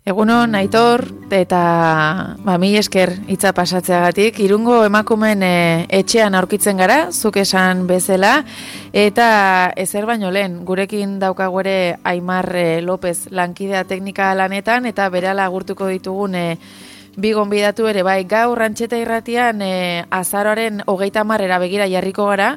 Egunon, Aitor, eta mila esker hitza pasatzeagatik. Irungo emakumeen etxean aurkitzen gara, zuk esan bezala, eta ezer baino lehen, gurekin daukagu ere Aimar López lankidea teknika lanetan, eta berala agurtuko ditugun bi gonbidatu ere, bai, gaur Antxeta Irratian azaroaren 30 begira jarriko gara,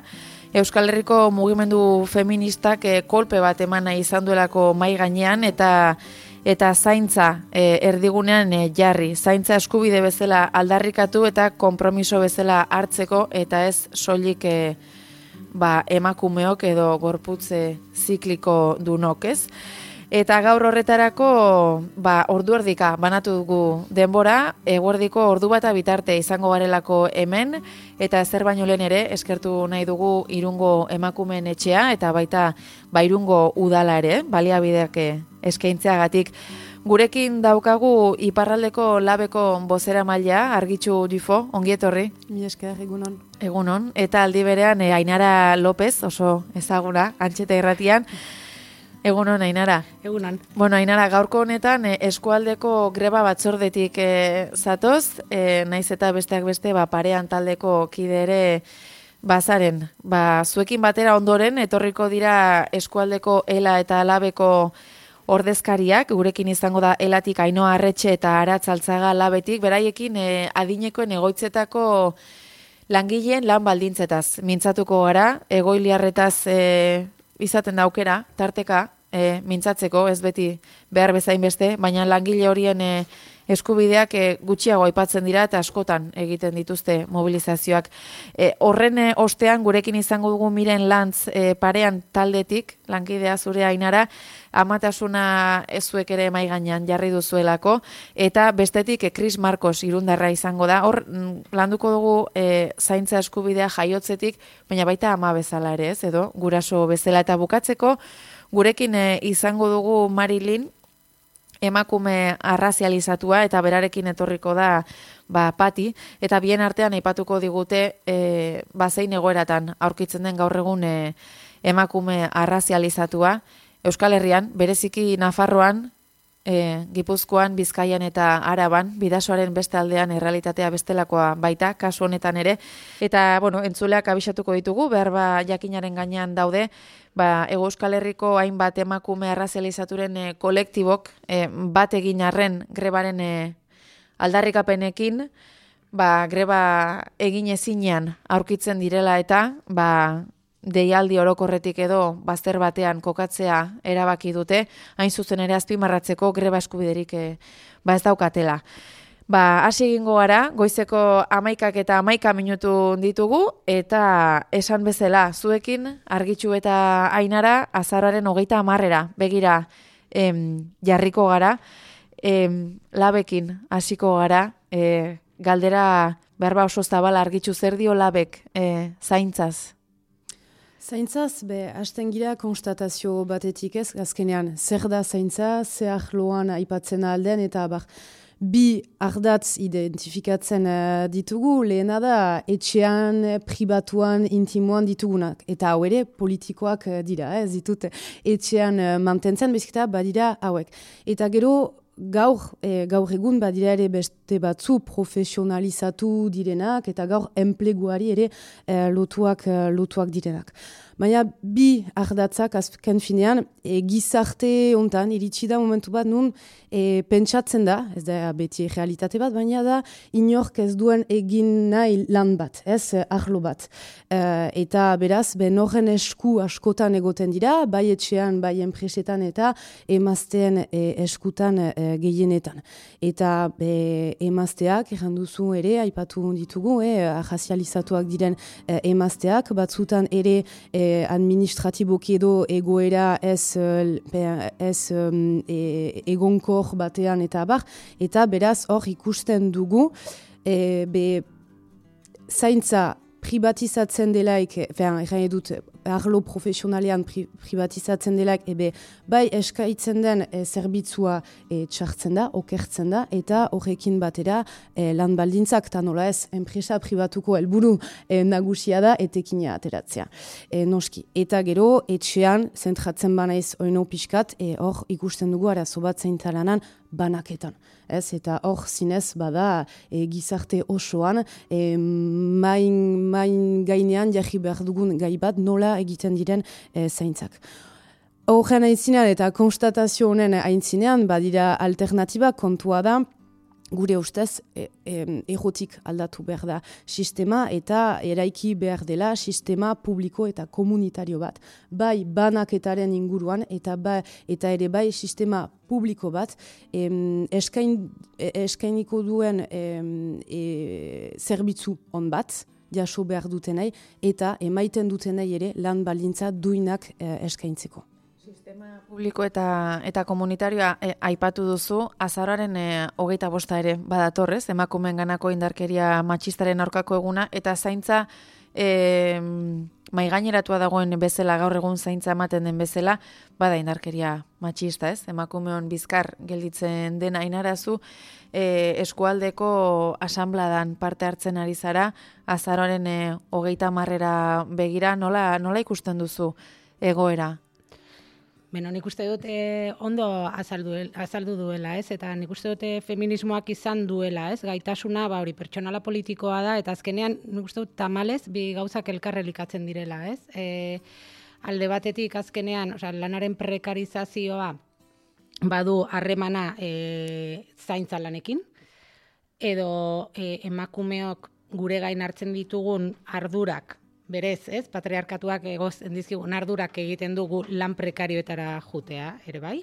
Euskal Herriko mugimendu feministak kolpe bat eman nahi izan duelako mai gainean, eta zaintza erdigunean jarri. Zaintza eskubide bezala aldarrikatu eta konpromiso bezala hartzeko, eta ez soilik emakumeok edo gorputze zikliko dunok, ez? Eta gaur horretarako ordu erdika banatu dugu denbora, eguerdiko ordu bata bitarte izango garelako hemen, eta ezer baino lehen ere eskertu nahi dugu Irungo emakumeen etxea, eta baita Irungo udala ere, baliabideak eskaintzeagatik. Gurekin daukagu iparraldeko labeko bozeramailea, Argitxu Dufo, ongi etorri. Mila esker, egunon. Egunon, eta aldi berean Ainara López, oso ezaguna, Antxeta Irratian. Egunon, Ainara. Egunon. Bueno, Ainara, gaurko honetan eskualdeko greba batzordetik zatoz, naiz eta besteak beste parean taldeko kide ere bazaren. Zuekin batera ondoren, etorriko dira eskualdeko ELA eta labeko ordezkariak, gurekin izango da elatik Ainhoa Arretxe eta Aratz Altzaga labetik, beraiekin adinekoen egoitzetako langileen lan baldintzetaz mintzatuko gara, egoiliarretaz izaten da aukera, tarteka, mintzatzeko, ez beti behar bezain beste, baina langile horien eskubideak gutxiago aipatzen dira eta askotan egiten dituzte mobilizazioak. Horren ostean gurekin izango dugu Miren Lantz parean taldetik, lankidea zure Ainara, amatasuna zuek ere mahai gainean jarri duzuelako, eta bestetik Chris Marcos irundarra izango da. Hor landuko dugu zaintza eskubidea jaiotzetik, baina baita ama bezala ere, ez, edo guraso bezala, eta bukatzeko gurekin izango dugu Marilyn, emakume arrazializatua, eta berarekin etorriko da Pati, eta bien artean aipatuko digute zein egoeratan aurkitzen den gaur egun emakume arrazializatua Euskal Herrian, bereziki Nafarroan, Gipuzkoan, Bizkaian eta Araban, Bidasoaren beste aldean errealitatea bestelakoa baita, kasu honetan ere, eta entzuleak abisatuko ditugu, behar jakinaren gainean daude, Ego Euskal Herriko hainbat emakume arrazializaturen kolektibok bat egin arren grebaren aldarrikapenekin, greba egin ezinean aurkitzen direla eta deialdi orokorretik edo bazter batean kokatzea erabaki dute, hain zuzen ere azpimarratzeko greba eskubiderik ez daukatela. Hasi egingo gara, goizeko 11 eta 11 minutu ditugu, eta esan bezala, zuekin, Argitxu eta Ainara, azaroaren 30 begira jarriko gara, labekin hasiko gara, galdera behar oso zabala, Argitxu, zer dio labek zaintzaz? Zaintzaz, hasten gira konstatazio batetik ez, azkenean, zer da zaintza, zer ahloan aipatzen alden, eta bi ardatz identifikatzen ditugu, lehena da etxean, pribatuan, intimoan ditugunak. Eta hau ere politikoak dira, ez ditut etxean mantentzen, bezketa badira hauek. Eta gero gaur egun badira ere beste batzu profesionalizatu direnak, eta gaur enpleguari ere lotuak direnak. Baina bi ardatzak azken finean, gizarte hontan iritsi da momentu bat nun pentsatzen da, ez da beti realitate bat, baina da inork ez duen egin nahi lan bat, ez arlo bat. Eta beraz, horren esku askotan egoten dira, bai etxean, bai enpresetan eta emazteen eskutan gehienetan. Eta emazteak, erranduzu ere, aipatu ditugu, arrazializatuak diren emazteak, batzutan ere administratiboki edo egoera ez egonkor batean eta eta beraz hor ikusten dugu zaintza privatizatzen delaik, erran edut arlo profesionalean privatizatzen delak, bai eskaitzen den zerbitzua txartzen da, okertzen da, eta horrekin batera lan baldintzak, eta nola ez, enpresa pribatuko helburu nagusia da, etekina ateratzea. Noski, eta gero, etxean, zentratzen banaiz oino pixkat, hor ikusten dugu arazo bat zaintzalanan banaketan. Eta hor zinez bada gizarte osoan main gainean jarri behar dugun gai bat nola egiten diren zaintzak. Horren aintzinean eta konstatazio honen aintzinean badira alternatiba kontua da gure ustez errotik aldatu behar da sistema eta eraiki behar dela sistema publiko eta komunitario bat. Bai banaketaren inguruan eta ere bai sistema publiko bat eskainiko duen zerbitzu on bat jaso behar dutenei eta emaiten dutenei ere lan baldintza duinak eskaintzeko. Sistema publiko eta komunitarioa aipatu duzu, azaroaren 25 ere badatorrez, emakumeen ganako indarkeria matxistaren aurkako eguna, eta zaintza maigaineratua dagoen bezala, gaur egun zaintza ematen den bezala, bada indarkeria matxista, ez? Emakumeon bizkar gelditzen den ainarazu, eskualdeko asanbladan parte hartzen ari zara, azaroaren 30 begira, nola ikusten duzu egoera? Beno, nik uste dut ondo azaldu duela, ez? Eta nik uste dut feminismoak izan duela, ez? Gaitasuna, hori pertsonala politikoa da, eta azkenean nik uste dut tamalez bi gauzak elkarrelikatzen direla, ez? Alde batetik azkenean, lanaren prekarizazioa badu harremana zaintza lanekin, edo emakumeok gure gain hartzen ditugun ardurak, berez, ez, patriarkatuak egozen dizkigun ardurak egiten dugu lan prekarioetara jutea, ere bai?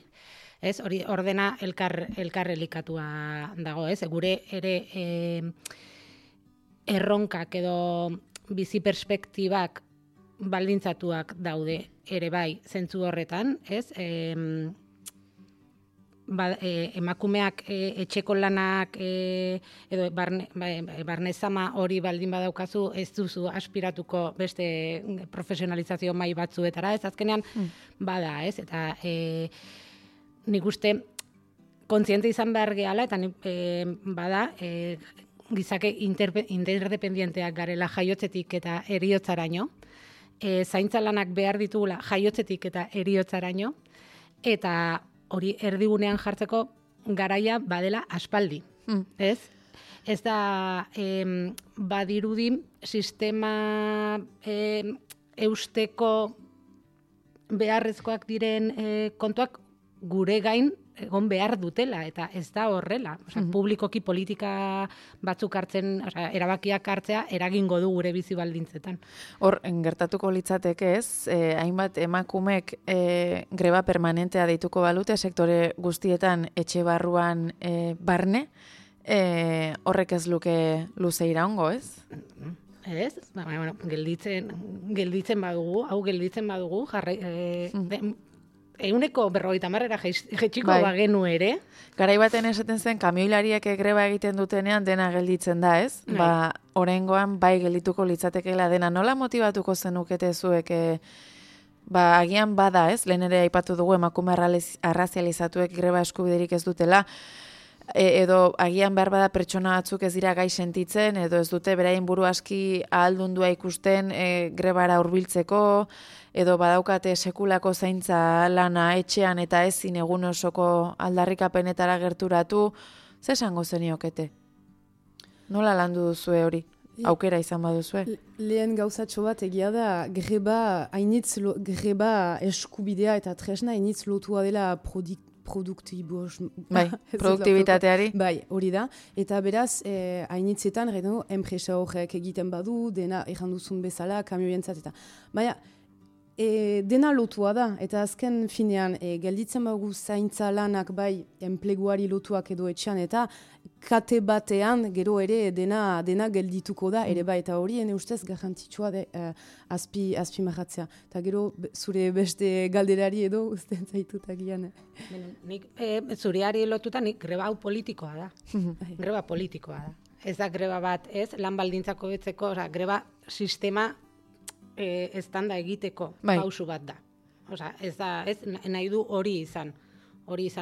Ez, hori ordena elkarrelikatua dago, ez? Gure ere erronkak edo bizi perspektibak baldintzatuak daude ere bai zentzu horretan, ez? Emakumeak etxeko lanak edo barnezama hori baldin badaukazu ez duzu aspiratuko beste profesionalizazio mai batzuetara, ez azkenean bada, ez? Eta nik uste kontziente izan behar gehala, eta bada gizake interdependienteak garela jaiotzetik eta heriotzaraino, zaintza lanak behar ditugula jaiotzetik eta heriotzaraino, eta hori erdigunean jartzeko garaia badela aspaldi, ez? Ez da badirudi sistema eusteko beharrezkoak diren kontuak gure gain egon behar dutela, eta ez da horrela. Publikoki politika batzuk hartzen, erabakiak hartzea eragingo du gure bizi baldintzetan. Hor, gertatuko litzateke ez, hainbat emakumek greba permanentea deituko balute, sektore guztietan etxe barruan barne, horrek ez luke luze iraungo, ez? Ez, gelditzen badugu, Euneko 50 jetxiko bagenu ere. Garai baten esaten zen, kamioilariek greba egiten dutenean dena gelditzen da, ez? Oraingoan bai geldituko litzatekeela dena. Nola motibatuko zenukete zuek, agian bada, ez? Lehen ere aipatu dugu emakume arrazializatuek greba eskubiderik ez dutela, edo agian behar bada pertsona batzuk ez dira gai sentitzen, edo ez dute beraien buru aski ahaldundua ikusten grebara hurbiltzeko, edo badaukate sekulako zaintza lana etxean eta ezin egun osoko aldarrikapenetara gerturatu, ze esango zeniokete? Nola landu duzue hori? Aukera izan baduzue? Lehen gauzatxo bat egia da, greba eskubidea eta tresna hainitz lotua dela produktibitateari. Bai, hori da. Eta beraz, hainitzetan, enpresa horrek egiten badu, dena erranduzun bezala, kamioentzat eta. Baina, dena lotua da, eta azken finean, gelditzen bagu zaintza lanak bai enpleguari lotuak edo etxean, eta kate batean gero ere dena geldituko da, ere bai, eta hori ene ustez garrantzitsua azpi marratzea. Eta gero zure beste galderari edo usten zaitut agian. Nik zureari lotuta nik greba hau politikoa da. Greba politikoa da. Ez da greba bat, ez, lan baldintzako betzeko, greba sistema eztanda egiteko Bai. pausu bat da. Osea, ez nahi du hori izan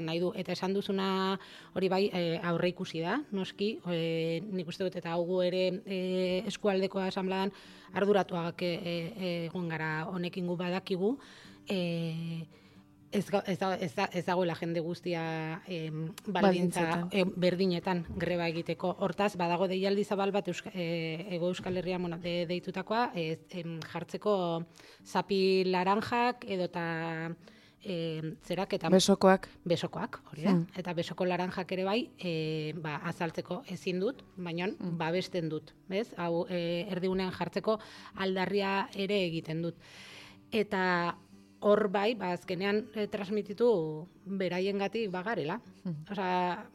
nahi du. Eta esan duzuna hori bai aurre ikusi da, noski, nik uste dut eta hau ere eskualdeko asamblean arduratuak egon gara honekin gu badakigu, ez dagoela jende guztia baldintza berdinetan greba egiteko. Hortaz, badago deialdi zabal bat Hego Euskal Herrian deitutakoa, jartzeko zapi laranjak edota zeraketan besokoak, hori da. Eta besoko laranjak ere bai, azaltzeko ezin dut, baina babesten dut, bez? Hau erdigunean jartzeko aldarria ere egiten dut. Eta hor bai, azkenean transmititu beraiengatik bagarela. Osea,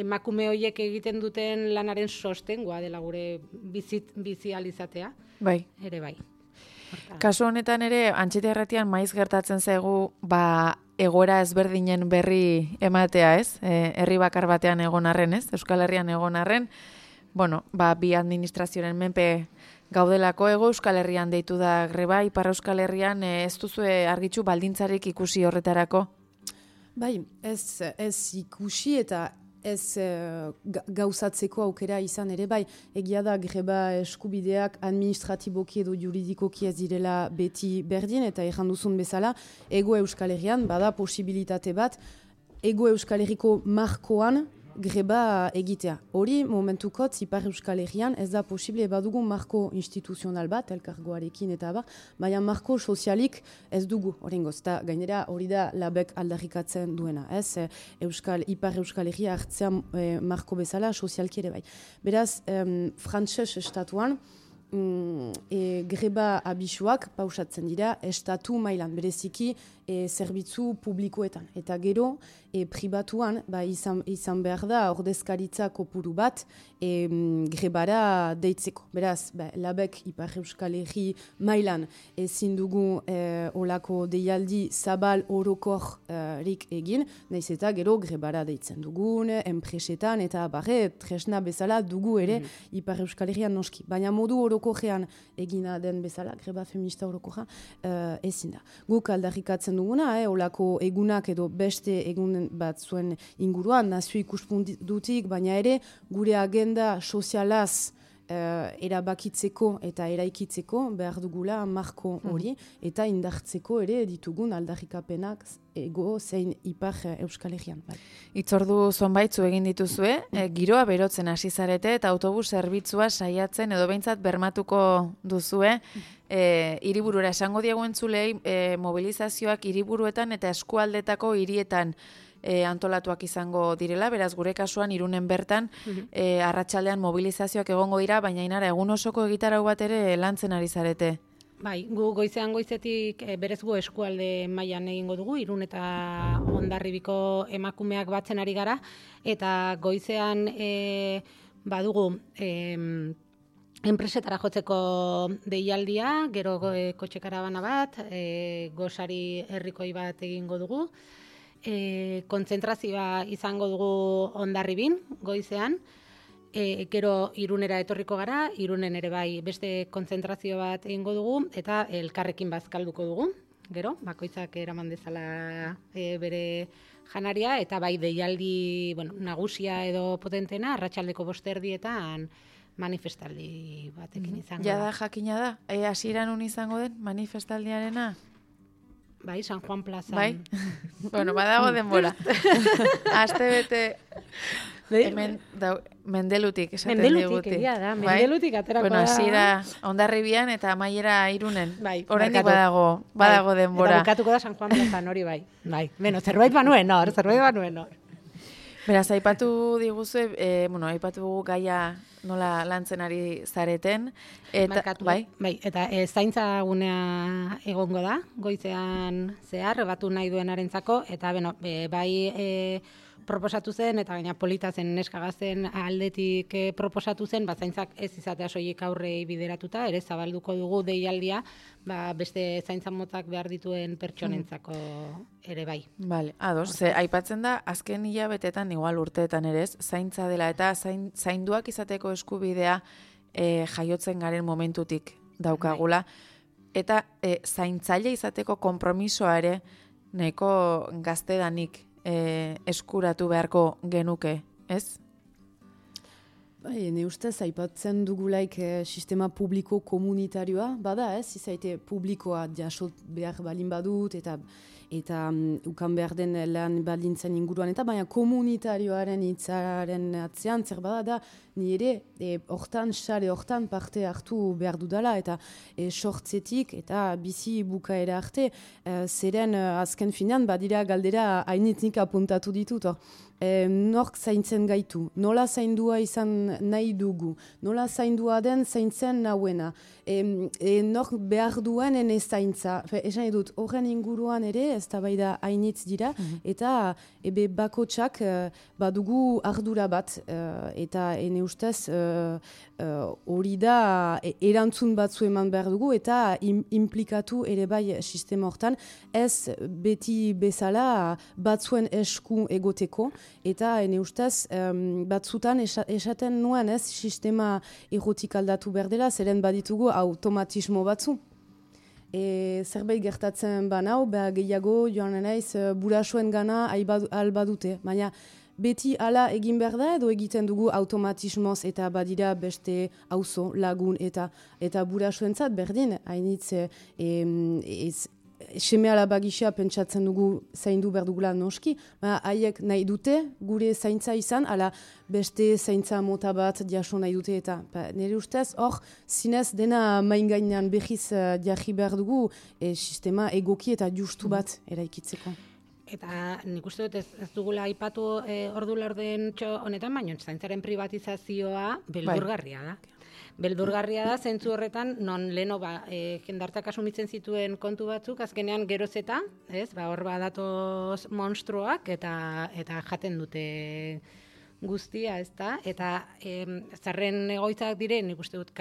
emakume horiek egiten duten lanaren sostengoa dela gure bizializatea. Bai. Ere bai. Kasu honetan ere, Antxeta Irratian maiz gertatzen zaigu, egoera ezberdinen berri ematea, ez? Herri bakar batean egon arren, ez? Euskal Herrian egon arren, bi administrazioaren menpe gaudelako. Hego Euskal Herrian deitu da greba, Ipar Euskal Herrian ez duzue argitxu baldintzarik ikusi horretarako? Bai, ez ikusi eta ez gauzatzeko aukera izan ere bai. Egia da greba eskubideak administratiboki edo juridikoki ez direla beti berdin, eta erran duzun bezala, Ego Euskal Herrian bada posibilitate bat, Ego Euskal Herriko markoan greba egitea. Hori momentukotz Ipar Euskal Herrian ez da posible, badugu marko instituzional bat, elkargoarekin eta baina marko sozialik ez dugu horrengoz. Eta gainera hori da labek aldarrikatzen duena. Ez Ipar Euskal Herria hartzea marko bezala sozialki ere bai. Beraz, frantses estatuan greba abisuak pausatzen dira estatu mailan, bereziki zerbitzu publikoetan. Eta gero, pribatuan, izan behar da ordezkaritza kopuru bat grebara deitzeko. Beraz, labek Ipar Euskal Herri mailan ezin dugu olako deialdi zabal orokorrik egin, nahiz eta gero grebara deitzen dugun, enpresetan, eta tresna bezala dugu ere Ipar Euskal Herrian noski. Baina modu orokorrean egina den bezala, greba feminista orokorra, ezin da. Guk aldarrikatzen duguna, olako egunak edo beste egun bat zuen inguruan, nazio ikuspuntutik, baina ere gure agenda sozialaz erabakitzeko eta eraikitzeko behar dugula marko hori, eta indartzeko ere ditugun aldarrikapenak Ego zein Ipar Euskal Herrian. Itzordu zonbaitzu egin dituzue, giroa berotzen hasi zarete eta autobus zerbitzua saiatzen edo behintzat bermatuko duzue. Hiriburura esango diegu entzulei, mobilizazioak hiriburuetan eta eskualdetako hirietan antolatuak izango direla, beraz gure kasuan Irunen bertan arratsaldean mobilizazioak egongo dira, baina Inara egun osoko egitarau bat ere lantzen ari zarete. Bai, gu goizetik berez gu eskualde mailan egingo dugu, Irun eta Hondarribiko emakumeak batzen ari gara, eta goizean badugu enpresetara jotzeko deialdia, gero kotxe karabana bat, gosari herrikoi bat egingo dugu, kontzentrazioa izango dugu Hondarribin goizean, gero Irunera etorriko gara, Irunen ere bai beste kontzentrazio bat egingo dugu, eta elkarrekin bazkalduko dugu, gero, bakoitzak eraman dezala bere janaria, eta bai deialdi nagusia edo potentena, arratsaldeko 5:00 manifestaldi batekin izango. Jada jakina da, hasieran un izango den manifestaldiarena? Bai, San Juan plazan. Bai? Badago denbora. Aste bete hemen Mendelutik esaten diguti. Mendelutik, egia da. Mendelutik aterako da. Hasiera Hondarribian eta amaiera Irunen. Bai. Oraindik badago denbora. Eta bukatuko da San Juan plazan hori bai. Bai. Zerbait banuen hor. Beraz, aipatu diguzue, aipatu gaia nola lantzen ari zareten. Markatu, bai, eta zaintza gunea egongo da, goizean zehar, batu nahi duenarentzako, eta bai proposatu zen, eta gaina polita zen neskagazen aldetik proposatu zen, zaintzak ez izatea soilik aurrei bideratuta, ere zabalduko dugu deialdia, beste zaintza motak behar dituen pertsonentzako ere bai. Bale, ados, aipatzen da, azken hilabetetan, igual urteetan ere ez, zaintza dela eta zainduak izateko eskubidea jaiotzen garen momentutik daukagula. Eta zaintzaile izateko konpromisoa ere nahiko gaztedanik eskuratu beharko genuke, ez? Bai, ne ustez, aipatzen dugulaik sistema publiko komunitarioa, bada ez, izaite publikoa jasot behar balin badut, eta ukan behar den lan baldintzen inguruan, eta baina komunitarioaren hitzaren atzean, zer bada da, nire hortan, sare hortan parte hartu behar dudala, eta sortzetik, eta bizi bukaera arte, zeren azken finean, badira galdera hainitnik apuntatu ditut, nork zaintzen gaitu, nola zaindua izan nahi dugu, nola zaindua den zaintzen nauena, nork behar duen ene zaintza, esan edut, horren inguruan ere, ez da bai da hainitz dira, eta ebe bakotsak badugu ardura bat, eta ene ustez hori da erantzun batzu eman behar dugu, eta implikatu ere bai sistema hortan, ez beti bezala batzuen esku egoteko, eta ene ustez batzutan esaten nuen ez sistema errotik aldatu behar dela, zeren baditugu automatismo batzu. Zerbait gertatzen banau, gehiago joan naiz burasuen gana albadute, baina beti hala egin behar da edo egiten dugu automatismoz eta badira beste auzo lagun eta burasuentzat berdin, hainitz seme alaba gisa pentsatzen dugu zaindu behar dugula noski, haiek nahi dute gure zaintza izan, ala beste zaintza mota bat jaso nahi dute eta nire ustez hor zinez dena main gainean behiz jarri behar dugu sistema egoki eta justu bat eraikitzeko. Eta nik uste dut ez dugula aipatu ordu laurden honetan, baina zaintzaren privatizazioa beldurgarria da. Beldurgarria da, zentzu horretan, non leno jendartak asumitzen zituen kontu batzuk, azkenean geroz eta, hor badatoz monstruoak eta jaten dute guztia, ezta? Eta zarren egoitzak diren, nik uste dut,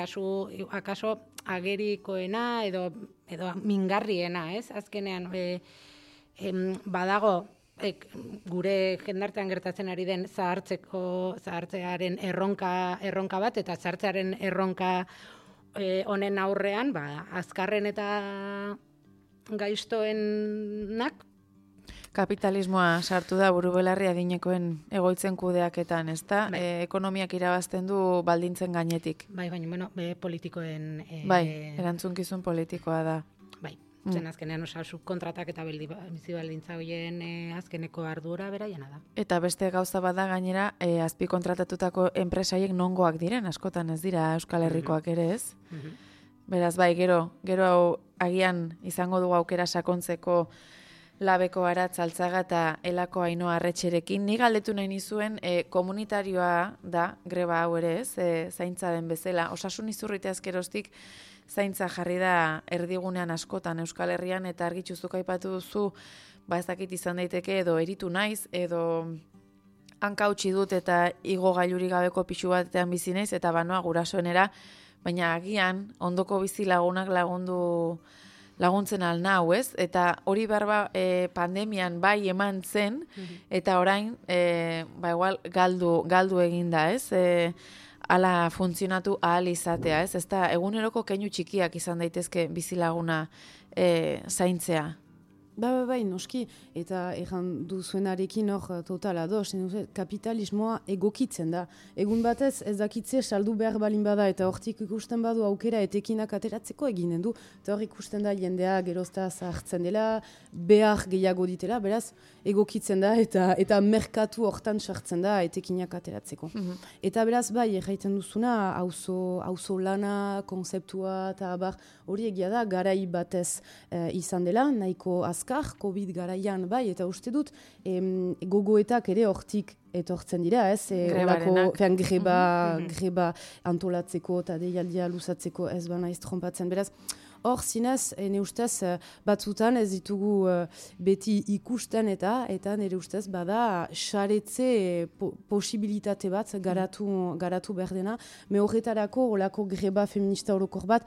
akaso agerikoena edo mingarriena, ez? Azkenean, badago, gure jendartean gertatzen ari den zahartzearen erronka bat, eta zahartzearen erronka honen aurrean, azkarren eta gaiztoenak. Kapitalismoa sartu da burubelarri adinekoen egoitzen kudeaketan, ezta? Bai. Ekonomiak irabazten du baldintzen gainetik. Baina, politikoen... Erantzunkizun politikoa da. Bai. Zen azkenean subkontratak eta bizi baldintza horien azkeneko ardura beraiena da. Eta beste gauza bada gainera azpi kontratatutako enpresaiek nongoak diren, askotan ez dira Euskal Herrikoak ere ez. Beraz bai, gero hau agian izango dugu aukera sakontzeko Labeko Aratz Altzaga eta Elako Ainhoa Arretxerekin. Ni galdetu nahi nizuen komunitarioa da greba hau ere ez, zaintza den bezala. Osasun izurrite azkeroztik zaintza jarri da erdigunean askotan Euskal Herrian eta argitxuzuk aipatu duzu, ez dakit izan daiteke edo eritu naiz, edo hanka utzi dut eta igo gailurik gabeko pixu batean bizi naiz eta banoa gurasoenera, baina agian ondoko bizi lagunak laguntzen alnau, ez? Eta hori berba pandemian bai eman zen, eta orain igual galdu eginda, ez? Ala funtzionatu ahal izatea, ez? Ezta eguneroko keinu txikiak izan daitezke bizilaguna zaintzea. Bai, noski, eta erran duzuenarekin hor total ados, kapitalismoa egokitzen da. Egun batez ez dakitze saldu behar balin bada eta hortik ikusten badu aukera etekinak ateratzeko eginen du. Eta hor ikusten da jendea gerozta zahartzen dela, behar gehiago ditela, beraz egokitzen da eta merkatu hortan sartzen da etekinak ateratzeko. Eta beraz bai, erraiten duzuna, auzo lana, konzeptua eta hori egia da, garai batez izan dela, nahiko azkar, COVID garaian bai, eta uste dut gogoetak ere hortik etortzen dira, ez? Greba antolatzeko eta deialdia luzatzeko ez bana trompatzen. Beraz, hor zinez, ne ustez, batzutan ez ditugu beti ikusten eta nire ustez bada saretze posibilitate bat garatu behar dena, me horretarako olako greba feminista orokor bat,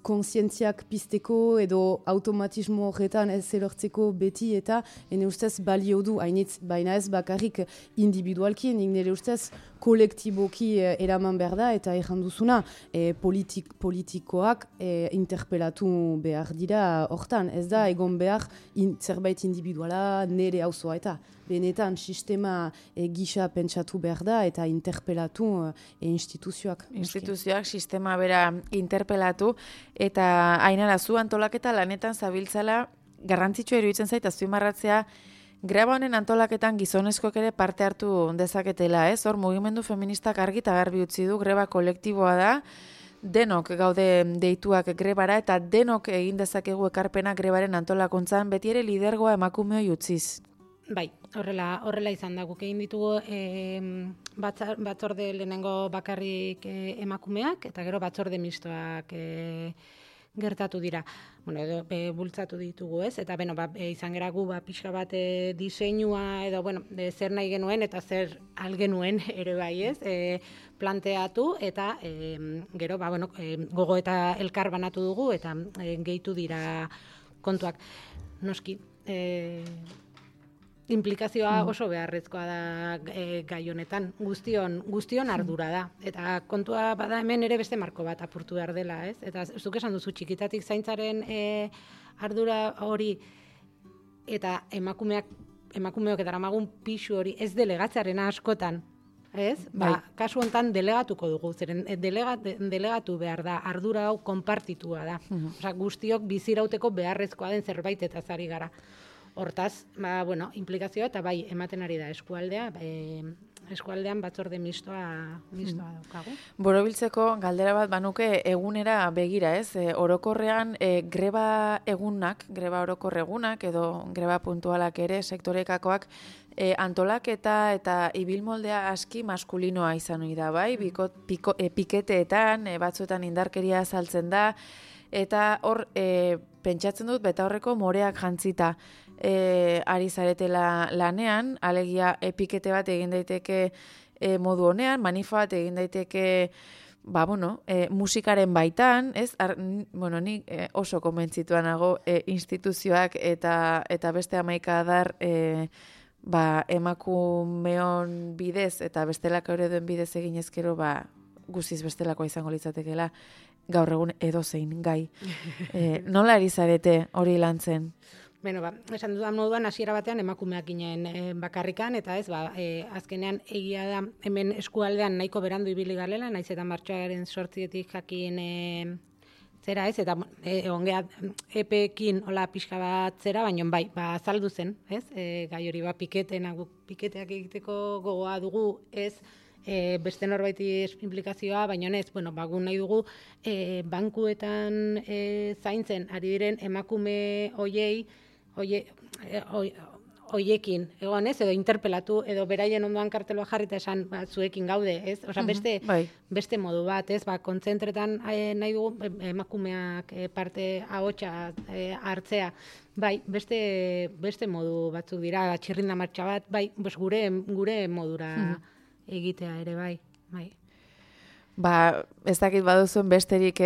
konsientziak pizteko edo automatismo horretan ez elortzeko beti eta ne ustez balio du, hainitz, baina ez bakarrik individualki, nire ustez kolektiboki eraman behar da eta erranduzuna politikoak interpelatu behar dira hortan. Ez da egon behar zerbait individuala nire auzoa eta benetan sistema gisa pentsatu behar da eta interpelatu instituzioak. Instituzioak sistema bera interpelatu eta Ainara zu antolaketa lanetan zabiltzala garrantzitsua iruditzen zait azpimarratzea greba honen antolaketan gizonezkoek ere parte hartu dezaketela, ez? Hor mugimendu feministak argi eta garbi utzi du greba kolektiboa da, denok gaude deituak grebara eta denok egin dezakegu ekarpena grebaren antolakuntzan, beti ere lidergoa emakumeoi utziz. Bai, horrela izan da, guk egin ditugu batzorde lehenengo bakarrik emakumeak eta gero batzorde mistoak gertatu dira. Bueno, edo bultzatu ditugu, ez? Eta izan gera gu pixka bat diseinua edo zer nahi genuen eta zer algenuen ere bai, ez? Planteatu eta gero gogo eta elkar banatu dugu eta gehitu dira kontuak. Noski, implikazioa oso beharrezkoa da gai honetan, guztion ardura da. Eta kontua bada hemen ere beste marko bat apurtu behar dela, ez? Eta zuk esan duzu txikitatik zaintzaren ardura hori eta emakumeok eta ramagun pixu hori ez delegatzearena askotan, ez? Kasu honetan delegatuko dugu, zeren delegatu behar da, ardura hau konpartitua da. Osea, guztiok bizirauteko beharrezkoa den zerbait eta zari gara. Hortaz, implikazioa eta bai ematen ari da eskualdean batzorde mistoa daukagu. Borobiltzeko galdera bat banuke egunera begira, ez? Orokorrean greba orokor egunak edo greba puntualak ere sektorekakoak antolaketa eta ibilmoldea aski maskulinoa izan ohi da, bai? Piketeetan, batzuetan indarkeria azaltzen da, eta hor pentsatzen dut beta horreko moreak jantzita ari zaretela lanean, alegia pikete bat egin daiteke modu honean, manifa bat egin daiteke musikaren baitan, ez? Nik oso konbentzituan nago instituzioak eta beste 11 adar emakumeon bidez eta bestelako ereduen bidez egin ezkero guztiz bestelakoa izango litzatekeela gaur egun edozein gai. Nola ari zarete hori lantzen? Esan dudan moduan hasiera batean emakumeak ginen bakarrikan eta ez, azkenean egia da hemen eskualdean nahiko berandu ibili garela, naiz eta martxoaren 8etik jakin zera ez, eta ongea epeekin hola pixka bat zera, baina azaldu zen, ez, gai hori piketeak egiteko gogoa dugu, ez, beste norbaiti implikazioa, baina ez, gu nahi dugu bankuetan zaintzen ari diren emakume hoiekin, egon ez, edo interpelatu, edo beraien ondoan karteloa jarri eta esan zuekin gaude, ez? Osa, beste modu bat, ez? Kontzentretan nahi dugu emakumeak parte ahotsa hartzea. Beste modu batzuk dira, txirrinda martxa bat, gure modura egitea ere, bai. Ez dakit baduzuen besterik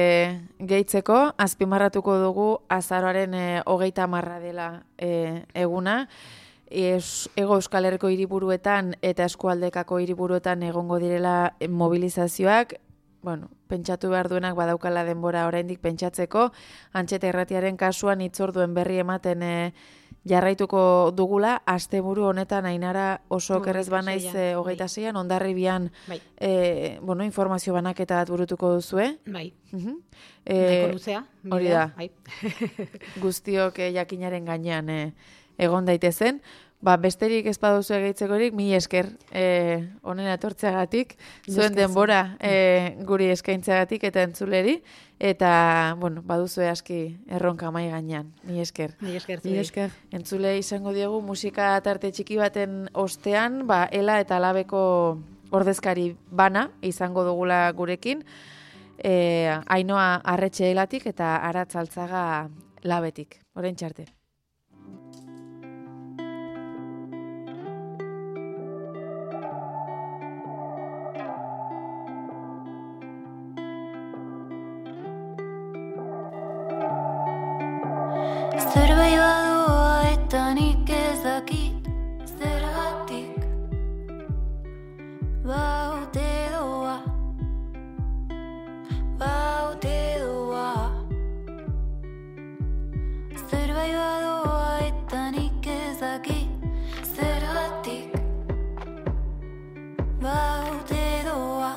gehitzeko, azpimarratuko dugu azaroaren 30 dela eguna. Hego Euskal Herriko hiriburuetan eta eskualdekako hiriburuetan egongo direla mobilizazioak, pentsatu behar duenak badaukala denbora oraindik pentsatzeko, Antxeta Irratiaren kasuan hitzorduen berri ematen jarraituko dugula, asteburu honetan Ainara oso okerrez banaiz 26an Hondarribian informazio banaketa bat burutuko duzue. Nahiko luzea. Hori da. Guztiok jakinaren gainean egon daitezen. Besterik ez baduzu egeitzekorik, mila esker honen etortzeagatik, zuen denbora guri eskaintzeagatik eta entzuleri, eta, baduzu aski erronka mai gainean. Mila esker. Mila esker. Entzule izango diogu musika tarte txiki baten ostean, Ela eta Labeko ordezkari bana izango dugula gurekin, Ainoa Arretxeelatik eta Aratz Altzaga Labetik. Oraintxe arte. Zerbait badoa eta nik ez dakit zergatik baute doa Zerbait badoa eta nik ez dakit zergatik baute doa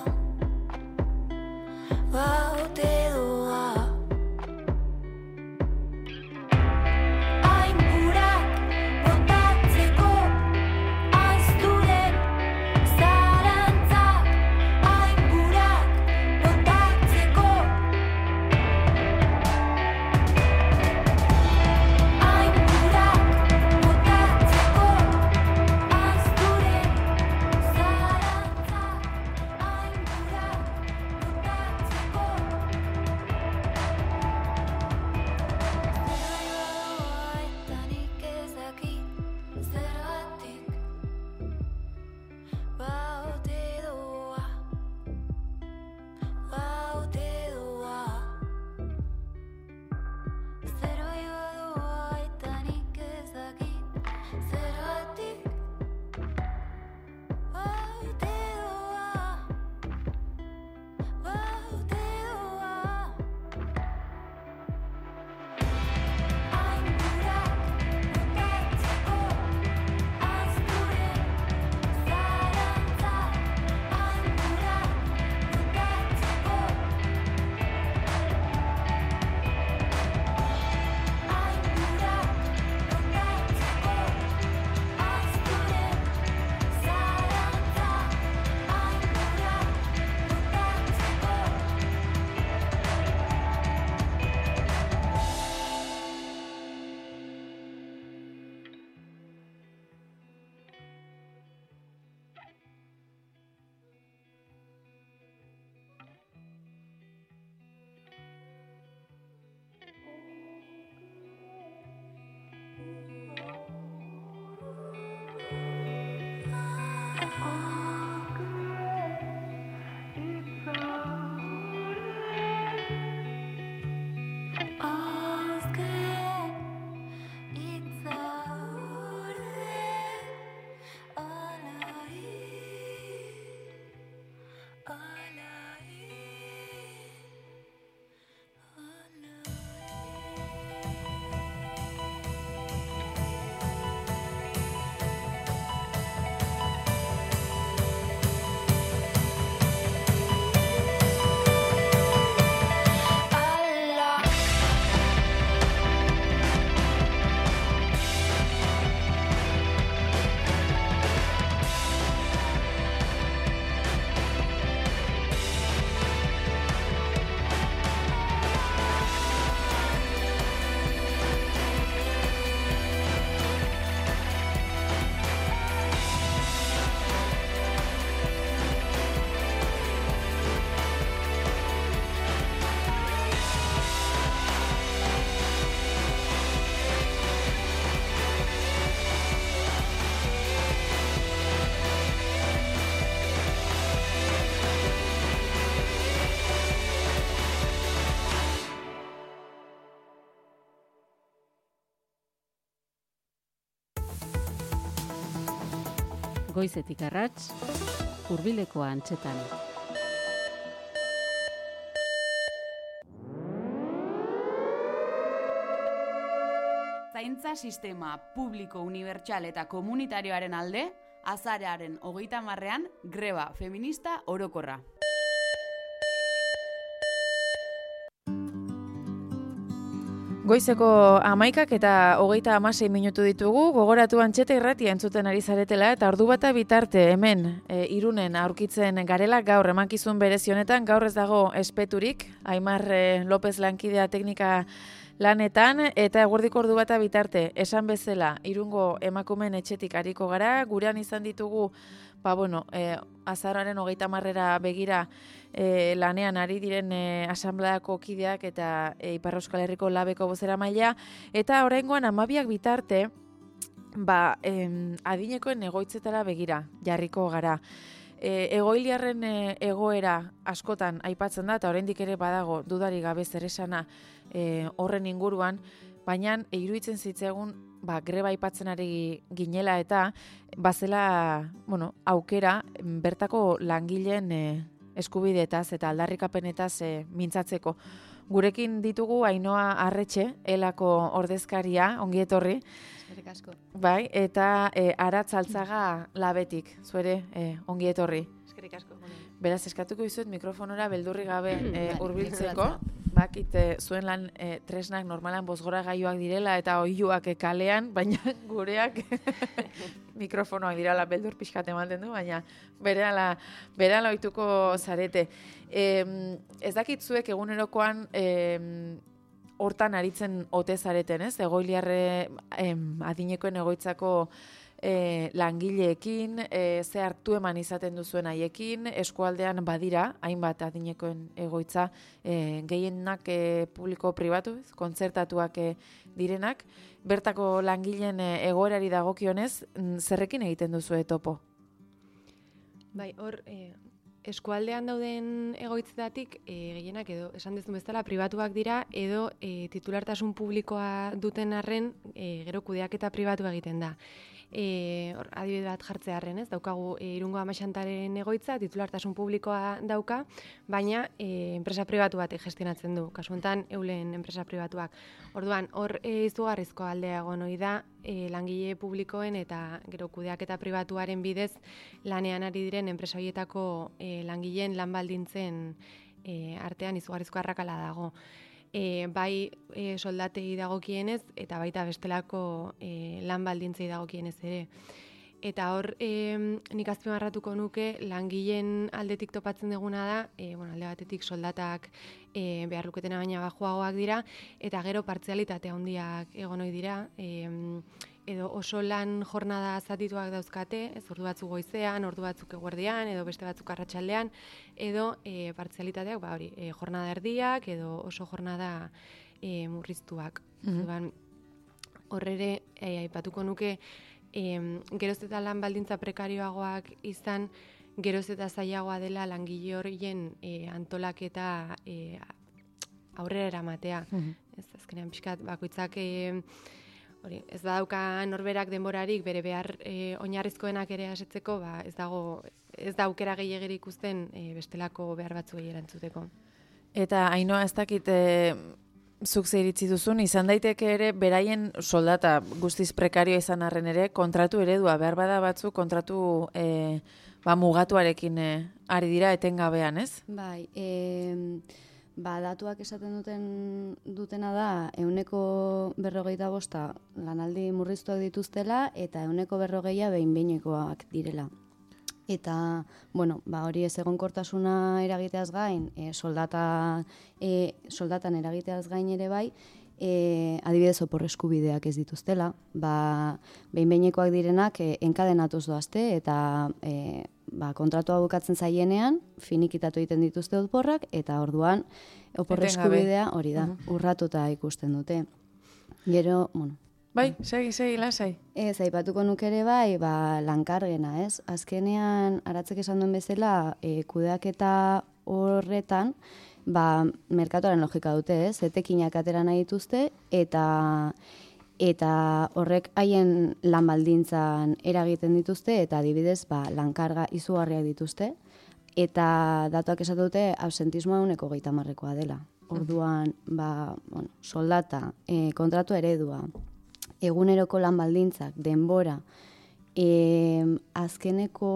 Goizetik arrats, hurbileko antzetan. Zaintza sistema publiko, unibertsal eta komunitarioaren alde, azaroaren 30ean greba feminista orokorra. Goizeko 11 eta 36 minutu ditugu, gogoratu Antxeta irratia entzuten ari zaretela eta ordu bata bitarte hemen Irunen aurkitzen garela gaur emankizun berezi honetan, gaur ez dago espeturik, Aimar López lankidea teknika lanetan eta eguerdiko ordu bata bitarte esan bezala Irungo emakumeen etxetik ariko gara, gurean izan ditugu azaroaren 30 begira lanean ari diren asanbleako kideak eta Ipar Euskal Herriko labeko bozeramailea, eta oraingoan 12 bitarte adinekoen egoitzetara begira jarriko gara. Egoiliarren egoera askotan aipatzen da, eta oraindik ere badago dudari gabe zer esana horren inguruan, baina iruditzen zitzaigun greba aipatzen ari ginela eta bazela aukera bertako langileen eskubideetaz eta aldarrikapenetaz mintzatzeko. Gurekin ditugu Ainhoa Arretxe, elako ordezkaria, ongi etorri. Eskerrik asko. Bai, eta Aratz Altzaga labetik, zuere ongi etorri. Eskerrik asko. Beraz, eskatuko dizuet mikrofonora beldurri gabe hurbiltzeko. Bakit zuen lan tresnak normalan bozgoragailuak direla eta oihuak kalean, baina gureak mikrofonoak direla beldur pixkat ematen du, baina berehala ohituko zarete. Ez dakit zuek egunerokoan hortan aritzen ote zareten, ez? Egoiliarre adinekoen egoitzako langileekin, ze hartu eman izaten duzuen haiekin, eskualdean badira, hainbat adinekoen egoitza, gehienak publiko-pribatu, kontzertatuak direnak, bertako langileen egoerari dagokionez, zerrekin egiten duzu topo? Bai, hor, eskualdean dauden egoitzetatik, gehienak edo, esan dezun bezala, pribatuak dira, edo titulartasun publikoa duten arren, gero kudeaketa pribatu egiten da. Adibide bat jartzearren, ez? Daukagu Irungo Amaxantaren egoitza, titulartasun publikoa dauka, baina enpresa pribatu batek gestionatzen du. Kasu honetan, Eulen enpresa pribatuak. Orduan, hor izugarrizko aldea egon ohi da, langile publikoen eta gero kudeaketa pribatuaren bidez lanean ari diren enpresa horietako langileen lan baldintzen artean izugarrizko arrakala dago. Bai soldatei dagokienez eta baita bestelako lan baldintzei dagokienez ere. Eta hor nik azpimarratuko nuke langileen aldetik topatzen duguna da, alde batetik soldatak behar luketena baina bajuagoak dira, eta gero partzialitate handiak egon ohi dira, edo oso lan jornada zatituak dauzkate, ez ordu batzuk goizean, ordu batzuk eguerdian, edo beste batzuk arratsaldean, edo partzialitateak, jornada erdiak, edo oso jornada murriztuak. Hor ere, aipatuko nuke, geroz eta lan baldintza prekarioagoak izan, geroz eta zailagoa dela langile horien antolaketa aurrera eramatea. Ez azkenean pixkat bakoitzak ez badauka norberak denborarik bere behar oinarrizkoenak ere asetzeko, ez da aukera gehiagiri ikusten bestelako behar batzuei erantzuteko. Eta Ainhoa, ez dakit zuk zeiritzi duzun, izan daiteke ere beraien soldata guztiz prekarioa izan arren ere, kontratu eredua, behar bada batzu kontratu mugatuarekin ari dira etengabean, ez? Bai, datuak esaten dutena da, 145 lanaldi murriztuak dituztela, eta 140 behin-behinekoak direla. Eta, hori ez egonkortasuna eragiteaz gain, soldatan eragiteaz gain ere bai, adibidez opor eskubideak ez dituztela, behin-behinekoak direnak enkadenatuz doazte, eta kontratua bukatzen zaienean, finikitatu egiten dituzte oporrak, eta orduan opor eskubidea hori da, urratuta ikusten dute. Gero, Bai, segi, lasai. Ez, aipatuko nuke ere bai, lankargena, ez? Azkenean, Aratzek esan duen bezala, kudeaketa horretan, merkatuaren logika dute, ez? Etekinak atera nahi dituzte, eta horrek haien lan baldintzan eragiten dituzte, eta adibidez, lankarga izugarriak dituzte, eta datuak esatu dute, absentismoa 130%koa dela. Orduan, soldata, kontratu eredua, eguneroko lan baldintzak, denbora, azkeneko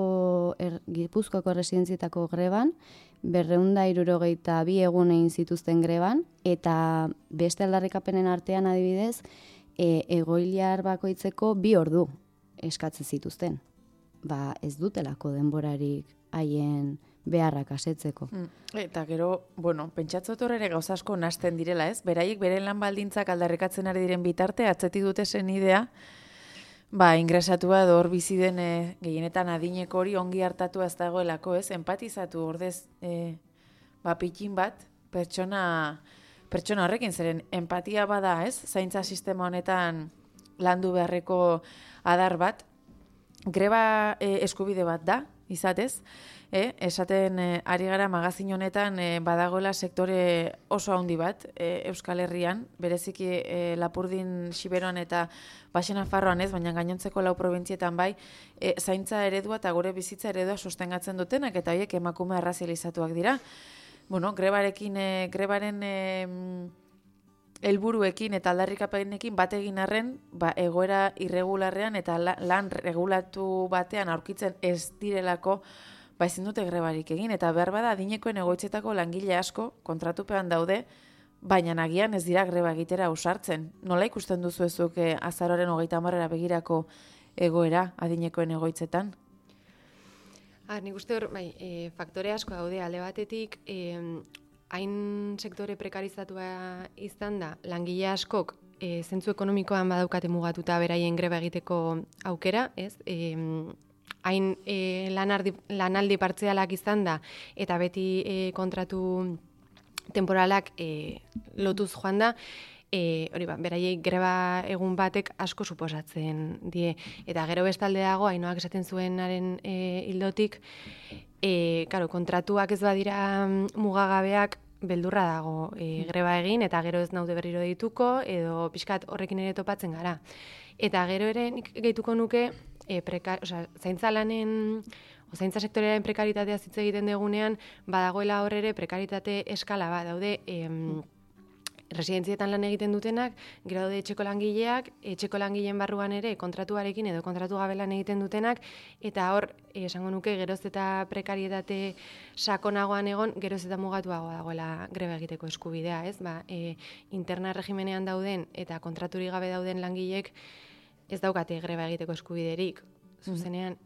Gipuzkoako erresidentzietako greban, 262 egun egin zituzten greban, eta beste aldarrikapenen artean adibidez, egoiliar bakoitzeko 2 ordu eskatzen zituzten. Ez dutelako denborarik haien beharrak asetzeko. Eta gero, pentsatzot horre gauza asko nasten direla, ez? Beraiek beren lan baldintzak aldarrikatzen ari diren bitarte, atzetik dute zen idea, ingresatua edo hor bizi den gehienetan adineko hori ongi hartatua ez dagoelako, ez? Empatizatu ordez pikin bat pertsona horrekin, zeren empatia bada, ez? Zaintza sistema honetan landu beharreko adar bat, greba eskubide bat da, izatez, esaten ari gara magazin honetan badagoela sektore oso handi bat Euskal Herrian, bereziki Lapurdin, Xiberoan eta Baxe Nafarroan ez, baina gainontzeko 4 probintzietan bai, zaintza eredua eta gure bizitza eredua sostengatzen dutenak, eta horiek emakume arrazializatuak dira. Bueno, grebaren helburuekin eta aldarrikapenekin bat egin arren, egoera irregularrean eta lan regulatu batean aurkitzen ez direlako, ezin dute grebarik egin, eta behar bada adinekoen egoitzetako langile asko kontratupean daude, baina nagian ez dira greba egitera ausartzen. Nola ikusten duzu ezuk azaroaren 30 begirako egoera adinekoen egoitzetan? Nik uste hor, faktore asko daude alde batetik, hain sektore prekarizatua izan da, langile askok zentzu ekonomikoan badaukate mugatuta beraien greba egiteko aukera, ez? Hain lanaldi partzialak izan da, eta beti kontratu temporalak lotuz joan da, beraiei greba egun batek asko suposatzen die. Eta gero bestalde dago, Ainoak esaten zuenaren hildotik, kontratuak ez badira mugagabeak, beldurra dago greba egin, eta gero ez naude berriro dituko, edo pixkat horrekin ere topatzen gara. Eta gero ere nik gehituko nuke, zaintza lanen, zaintza sektorearen prekaritatea hitz egiten degunean, badagoela hor ere prekaritate eskala bat, daude residentzietan lan egiten dutenak, gero daude etxeko langileak, etxeko langileen barruan ere kontratuarekin edo kontratu gabe lan egiten dutenak, eta hor, esango nuke, geroz eta prekarietate sakonagoan egon, geroz eta mugatuagoa dagoela greba egiteko eskubidea, ez? Interna regimenean dauden eta kontraturik gabe dauden langileek ez daukate greba egiteko eskubiderik. Zuzenean,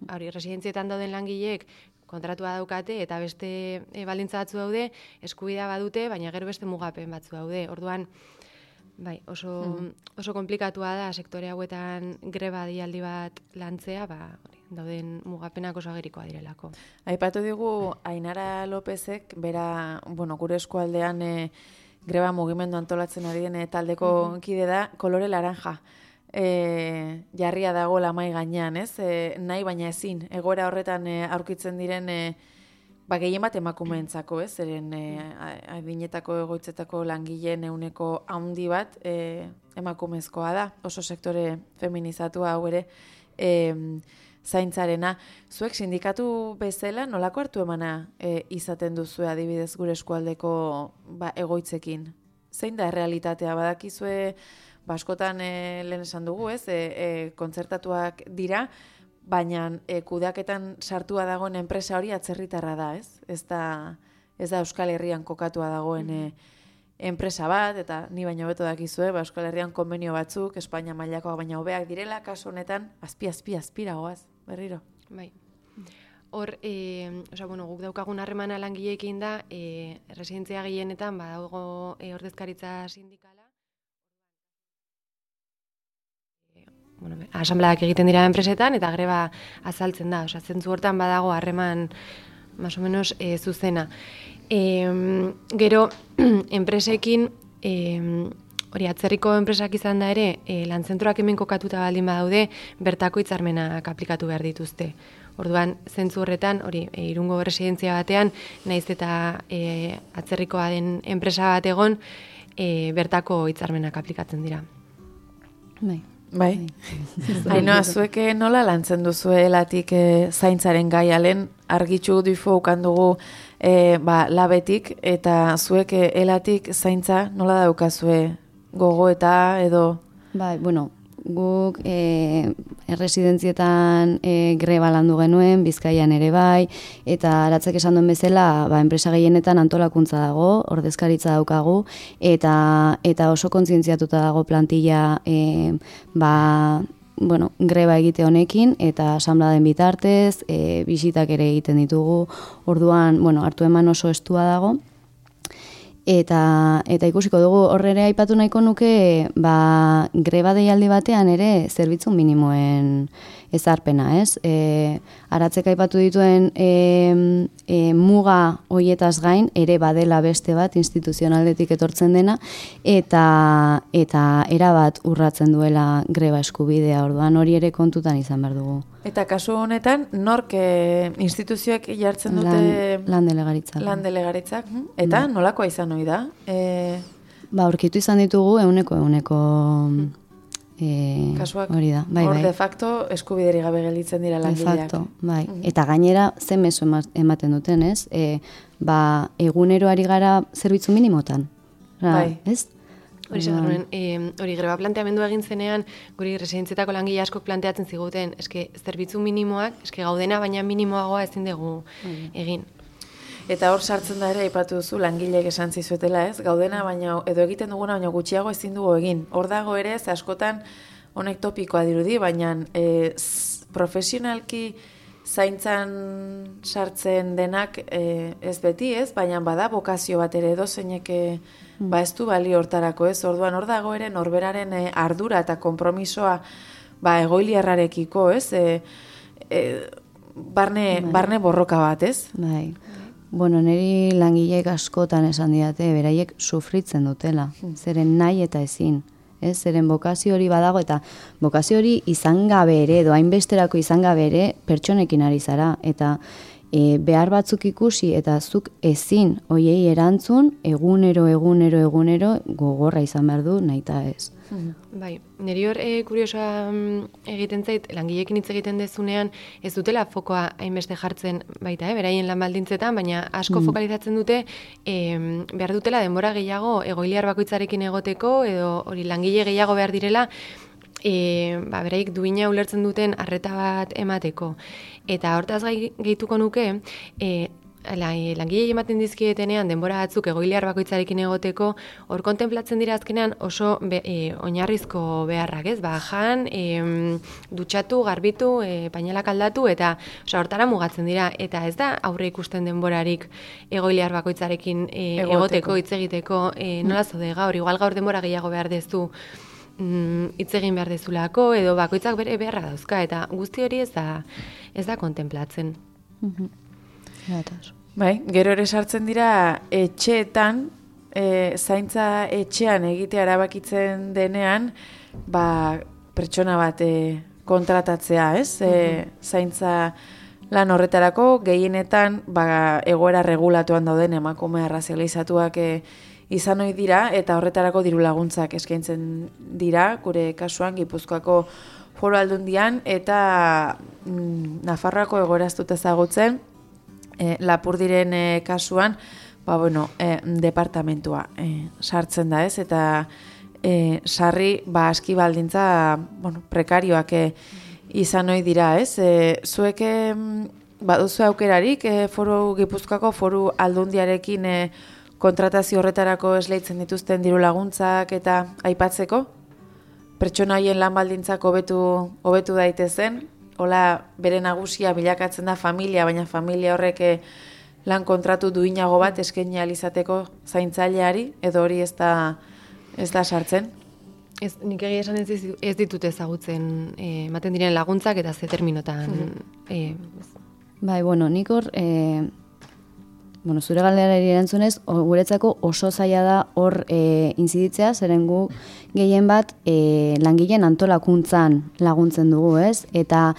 residentzietan dauden langileek kontratua daukate eta beste baldintza batzu daude, eskubidea badute, baina gero beste mugapen batzu daude. Orduan, oso komplikatua da sektore hauetan greba deialdi bat lantzea, dauden mugapenak oso agerikoa direlako. Aipatu digu Ainara Lopezek, bera, gure eskualdean greba mugimendu antolatzen ari den taldeko kide da, kolore laranja. Jarria dago lamai gainean, ez? Nahi baina ezin, egoera horretan aurkitzen diren gehien bat emakumeentzako, ez? Zeren adinetako egoitzetako langileen ehuneko handi bat emakumezkoa da, oso sektore feminizatua hau ere zaintzarena. Zuek sindikatu bezala nolako hartu emana izaten duzue adibidez gure eskualdeko egoitzekin? Zein da errealitatea? Badakizue askotan lehen esan dugu, ez? Kontzertatuak dira, baina kudeaketan sartua dagoen enpresa hori atzerritarra da, ez? Ez da Euskal Herrian kokatua dagoen enpresa bat, eta ni baino beto dakizue, Euskal Herrian konbenio batzuk, Espainia mailakoak baina hobeak direla, kasu honetan, azpiragoaz, berriro. Bai. Hor, guk daukagun harremana langileekin da, residentzia gehienetan badago ordezkaritza sindikala. Asambleak egiten dira enpresetan eta greba azaltzen da. Zentzu hortan badago harreman más o menos zuzena. Gero, enpresekin, atzerriko enpresak izan da ere, lantzentroak hemen kokatuta baldin badaude, bertako hitzarmenak aplikatu behar dituzte. Orduan, zentzu horretan, Irungo residentzia batean, naiz eta atzerrikoa den enpresa bat egon, bertako hitzarmenak aplikatzen dira. Bai. Ainoa, zuek nola lantzen duzu elatik zaintzaren gaialen, argitxu dufo ukandugu labetik, eta zuek elatik zaintza nola daukazue gogoeta edo? Bai, guk erresidentzietan greba landu genuen, Bizkaian ere bai, eta Aratzek esan duen bezala, enpresa gehienetan antolakuntza dago, ordezkaritza daukagu, eta oso kontzientziatuta dago plantilla greba egite honekin, eta asanbladen bitartez, bisitak ere egiten ditugu, orduan, hartu eman oso estua dago, Eta ikusiko dugu horre ere aipatu nahiko nuke greba deialdi batean ere zerbitzu minimoen ezarpena, ez? Aratzek aipatu dituen muga hoietaz gain ere badela beste bat instituzionaldetik etortzen dena eta erabat urratzen duela greba eskubidea, orduan hori ere kontutan izan behar dugu. Eta kasu honetan, nork instituzioek jartzen dute... Lan delegaritzak. Lan delegaritzak. Eta nolakoa izan hori da? Aurkitu izan ditugu euneko kasuak, hori da. Bai, hor de facto eskubideri gabe gelditzen dira langileak. De facto, bai. Eta gainera, ze mezu ematen duten, ez? Egunero ari gara zerbitzu minimotan. Bai. Ez? Hori segarruen, hori greba planteamendu egin zenean, guri residentzietako langile askok planteatzen ziguten, zerbitzu minimoak, gaudena baina minimoagoa ezin dugu egin. Eta hor sartzen da ere, aipatu duzu, langileek esan zizuetela, ez? Gaudena baina, edo egiten duguna, baina gutxiago ezin dugu egin. Hor dago ere, ze askotan honek topikoa dirudi, baina profesionalki zaintzan sartzen denak ez beti, ez? Baina bada bokazio bat ere edo zeinek ez du balio hortarako, ez? Orduan hor dago ere norberaren ardura eta konpromisoa egoiliarrarekiko, ez? Barne borroka bat, ez? Bai. Bueno, niri langileek askotan esan didate, beraiek sufritzen dutela, zeren nahi eta ezin. Zeren bokazio hori badago eta bokazio hori izan gabe ere, edo hainbesterako izan gabe ere, pertsonekin ari zara. Eta behar batzuk ikusi eta zuk ezin hoiei erantzun, egunero gogorra izan behar du, nahi eta ez. Bai, niri hor kuriosoa egiten zait, langileekin hitz egiten dezunean, ez dutela fokoa hainbeste jartzen baita, beraien lan baldintzetan, baina asko fokalizatzen dute, behar dutela denbora gehiago egoiliar bakoitzarekin egoteko, edo hori langile gehiago behar direla, beraik duina ulertzen duten arreta bat emateko. Eta hortaz gehituko nuke, langilei ematen dizkietenean denbora batzuk egoiliar bakoitzarekin egoteko, hor kontemplatzen dira azkenean oso oinarrizko beharrak, ez? Jan, dutxatu, garbitu, painalak aldatu, eta hortara mugatzen dira. Eta ez da aurre ikusten denborarik egoiliar bakoitzarekin egoteko, hitz egiteko, nola zode gaur, igual gaur denbora gehiago behar dezu, hitz egin behar dezulako, edo bakoitzak bere beharra dauzka, eta guzti hori ez da kontemplatzen. Bai, gero ere sartzen dira etxeetan, zaintza etxean egitea erabakitzen denean, pertsona bat kontratatzea, ez? Zaintza lan horretarako gehienetan egoera regulatuan dauden emakume arrazializatuak izan ohi dira, eta horretarako diru laguntzak eskaintzen dira, gure kasuan Gipuzkoako Foru Aldundian, eta Nafarroako egoera ez dut ezagutzen, Lapurdiren kasuan, departamentua sartzen da, ez? Eta sarri aski baldintza prekarioak izan ohi dira, ez? Zuek baduzu aukerarik Foru Gipuzkoako Foru Aldundiarekin kontratazio horretarako esleitzen dituzten diru laguntzak eta aipatzeko? Pertsona haien lan baldintzak hobetu daitezen? Hola, bere nagusia bilakatzen da familia, baina familia horrek lan kontratu duinago bat eskaini ahal izateko zaintzaileari, edo hori ez da sartzen? Nik egia esan ez ditut ezagutzen ematen diren laguntzak eta ze terminotan. Bai, nik hor, zure galderari erantzunez, guretzako oso zaila da hor inziditzea, zeren gu gehien bat langileen antolakuntzan laguntzen dugu, ez? Eta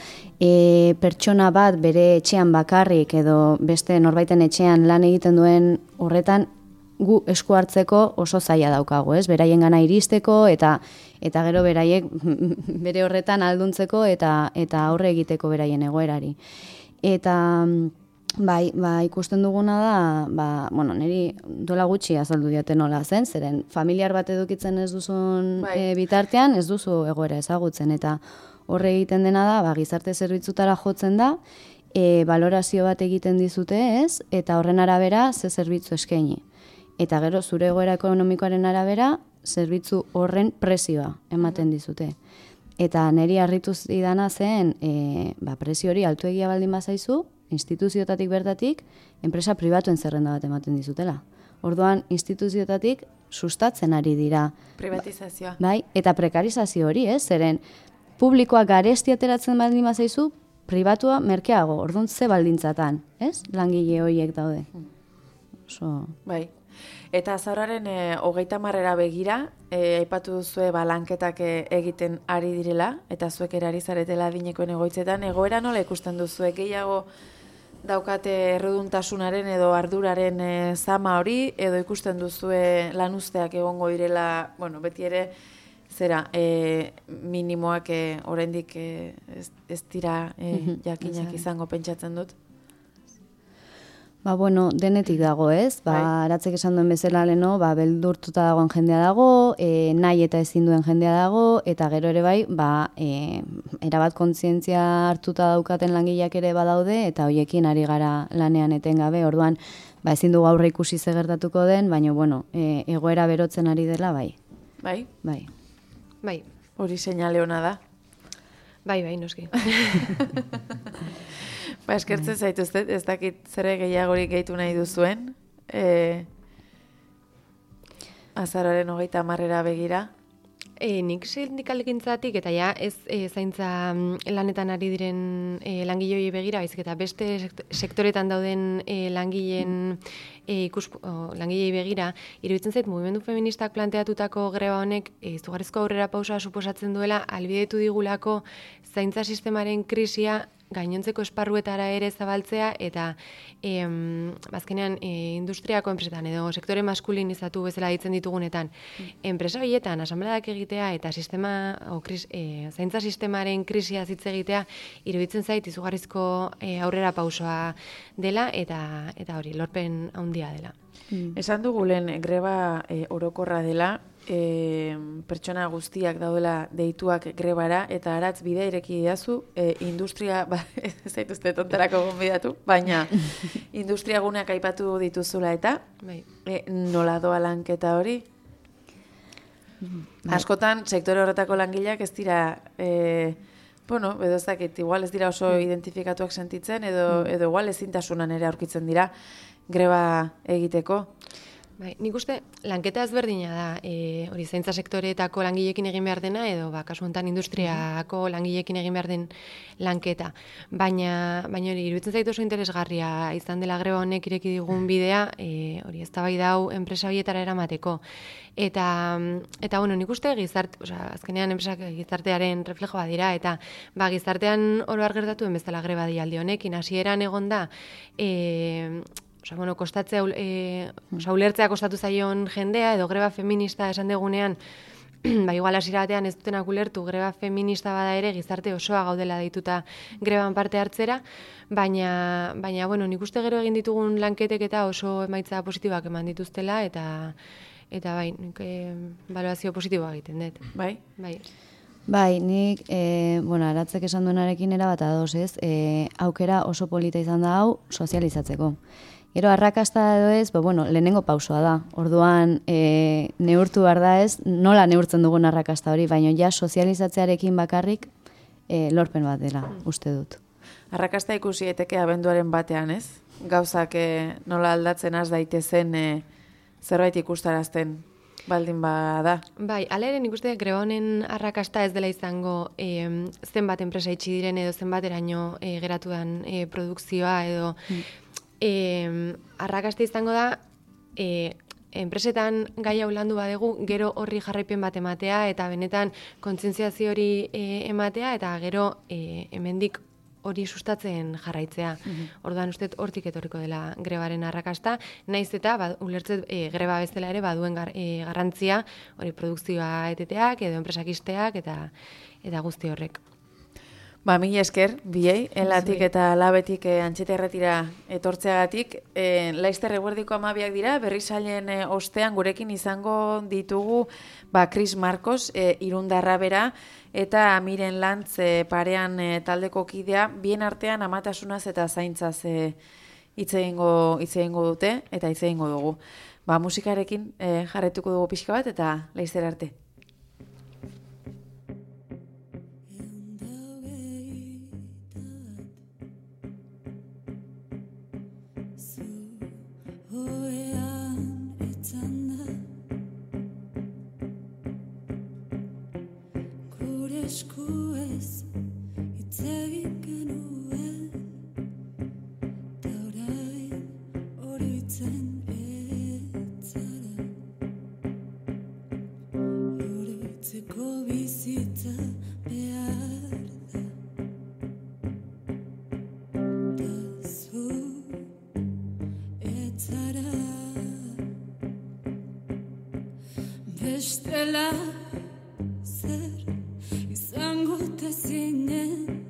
pertsona bat bere etxean bakarrik edo beste norbaiten etxean lan egiten duen horretan gu esku hartzeko oso zaila daukagu, ez? Beraien gana iristeko eta gero beraiek bere horretan alduntzeko eta aurre egiteko beraien egoerari. Eta Bai, ikusten duguna da, niri dola gutxi azaldu diate nola zen, zeren familiar bat edukitzen ez duzun bitartean, ez duzu egoera ezagutzen, eta horre egiten dena da, gizarte zerbitzutara jotzen da, balorazio bat egiten dizute ez, eta horren arabera ze zerbitzu eskaini. Eta gero zure egoera ekonomikoaren arabera, zerbitzu horren presioa ematen dizute. Eta niri harritu zidana zen, presio hori altu egia baldin bazaizu, instituzioetatik bertatik, enpresa pribatuen zerrenda bat ematen dizutela. Orduan, instituzioetatik sustatzen ari dira. Privatizazioa. Bai, eta prekarizazio hori, zeren publikoa garesti ateratzen baldin bazaizu, pribatua merkeago, orduan ze baldintzatan, langile horiek daude. Bai. Eta azauraren 30 begira, aipatu duzue lanketak egiten ari direla, eta zuek ere ari zaretela adinekoen egoitzetan, egoera nola ikusten duzue gehiago daukate erreduntasunaren edo arduraren zama hori, edo ikusten duzue lanuzteak egongo direla, beti ere, minimoak oraindik ez dira jakinak izango pentsatzen dut. Denetik dago, Aratzek esan duen bezala leno, beldurtuta dagoen jendea dago, nahi eta ezin duen jendea dago, eta gero ere bai, erabat kontzientzia hartuta daukaten langileak ere badaude, eta hoiekin ari gara lanean etengabe, orduan, ezin dugu aurre ikusi ze gertatuko den, baina, egoera berotzen ari dela, bai. Bai? Bai. Hori seinale ona da. Bai, noski. Eskertzen zaituztet, ez dakit zere gehiagorik gehitu nahi duzuen. Azaroaren 30 begira. Nik sindikalekintzatik eta ez zaintza lanetan ari diren langilei begira, baizik eta beste sektoretan dauden langilei begira, iruditzen zait mugimendu feministak planteatutako greba honek izugarrizko aurrera pausa suposatzen duela, albidetu digulako zaintza sistemaren krisia gainontzeko esparruetara ere zabaltzea eta azkenean industriako enpresetan edo sektore maskulinizatu bezala ditzen ditugunetan enpresa horietan asambleak egitea eta zaintza sistemaren krisia hitz egitea iruditzen zait izugarrizko aurrera pausoa dela eta hori lorpen handia dela. Esan dugu lehen greba orokorra dela, pertsona guztiak daudela deituak grebara, eta Aratz bidea ireki didazu, industria, ez zaituzte tontarako gonbidatu, baina industria guneak aipatu dituzula eta nola doa lanketa hori? Askotan, sektore horretako langileak ez dira, edo ez dakit, igual ez dira oso identifikatuak sentitzen, edo igual ezintasunan ere aurkitzen dira greba egiteko. Nik uste, lanketa ezberdina da, hori zaintza sektoreetako langileekin egin behar dena, edo kasu honetan industriako langileekin egin behar den lanketa. Baina hori, iruditzen zaitu oso interesgarria izan dela greba honek ireki digun bidea, hori eztabaida hau enpresa horietara eramateko. Eta nik uste azkenean enpresak gizartearen reflejoa dira, eta gizartean oro har gertatuen bezala greba dialdi honekin, hasieran egon da, kostatzea, ulertzea kostatu zaion jendea, edo greba feminista esan degunean, igual hasiera batean ez dutenak ulertu greba feminista bada ere gizarte osoa gaudela deituta greban parte hartzera, baina nik uste gero egin ditugun lanketek eta oso emaitza positiboak eman dituztela, eta nik balorazio positiboa egiten dut. Bai? Bai, nik, Aratzek esan duenarekin erabat ados, aukera oso polita izan da hau sozializatzeko. Gero, arrakasta edo ez, lehenengo pausoa da. Orduan, neurtu behar da ez, nola neurtzen dugun arrakasta hori, baina sozializatzearekin bakarrik lorpen bat dela, uste dut. Arrakasta ikusi eteke abenduaren batean, ez? Gauzak nola aldatzen az daitezen zerbait ikustarazten baldin bada. Bai, hala ere nik uste greba honen arrakasta ez dela izango zenbat enpresa itxi diren edo zenbateraino geratu den produkzioa edo arrakasta izango da enpresetan gai hau landu badegu, gero horri jarraipen bat ematea eta benetan kontzientziazio hori ematea eta gero hemendik hori sustatzen jarraitzea. Orduan uste hortik etorriko dela grebaren arrakasta, naiz eta ulertzet greba bezala ere baduen garrantzia hori produkzioa eteteak edo enpresak ixteak eta guzti horrek. Mila esker, biei, elatik eta labetik Antxeta Irratira etortzeagatik. Laizter eguerdiko 12 dira, berrizailen ostean gurekin izango ditugu Chris Marcos, Irundarra bera, eta Miren Lantz parean taldeko kidea, bien artean amatasunaz eta zaintzaz hitz egingo dute, eta hitz egingo dugu. Musikarekin jarretuko dugu pixka bat, eta laizter arte. Bestela zer izango te zinen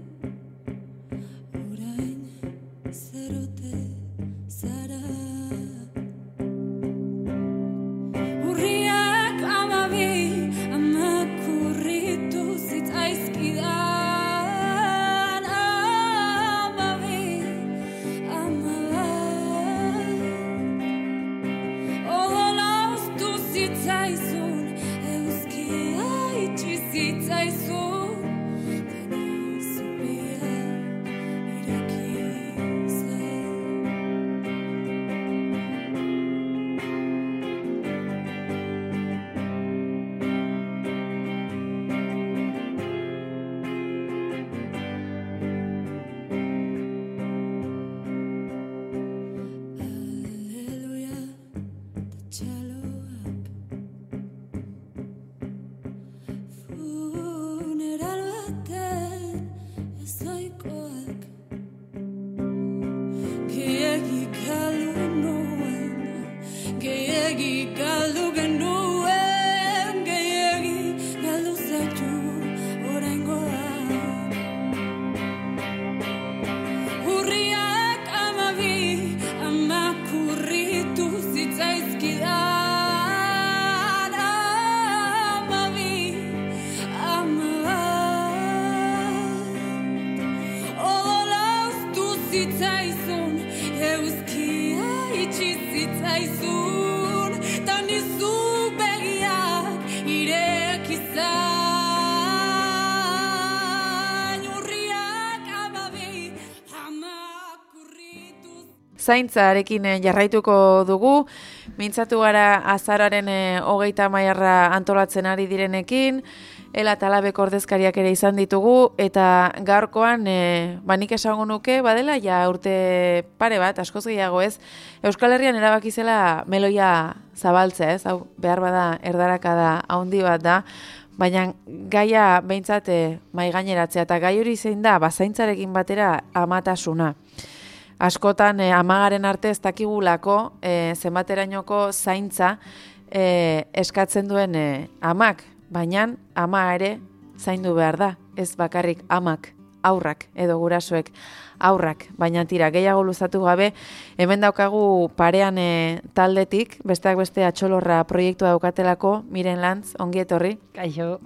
orain zerote zara urriak amabi amakurritu zitzaizkidan amabi odola ustu zitzaizun zitzaizun deni zupia ireki zen. Aleluia, txaloak funeral baten ezoikoak gehiagi galdu nuen gehiagi galdu genuen gehiagi galdu zaitu oraingoan urriak amabi amakurritu zitzaizkidan amabi odola ustu zitzaizun eguzkia itxi zitzaizun ta nizu begiak ireki zain urriak amabi amakurritu. Zaintzarekin jarraituko dugu, mintzatu gara azaroaren 30 antolatzen ari direnekin, Ela eta Labeko ordezkariak ere izan ditugu, eta gaurkoan, nik esango nuke, badela, ja urte pare bat, askoz gehiago ez, Euskal Herrian erabaki zela meloia zabaltzea, ez, hau behar bada erdarakada handi bat da, baina gaia behintzat mai gaineratzea, eta gai hori zein da, zaintzarekin batera amatasuna. Askotan amagaren arte ez dakigulako zenbaterainoko zaintza eskatzen duen amak, baina ama ere zaindu behar da, ez bakarrik amak, aurrak edo gurasoek aurrak, baina tira, gehiago luzatu gabe, hemen daukagu parean taldetik, besteak beste Atxolorra proiektua daukatelako, Miren Lantz, ongi etorri. Kaixo.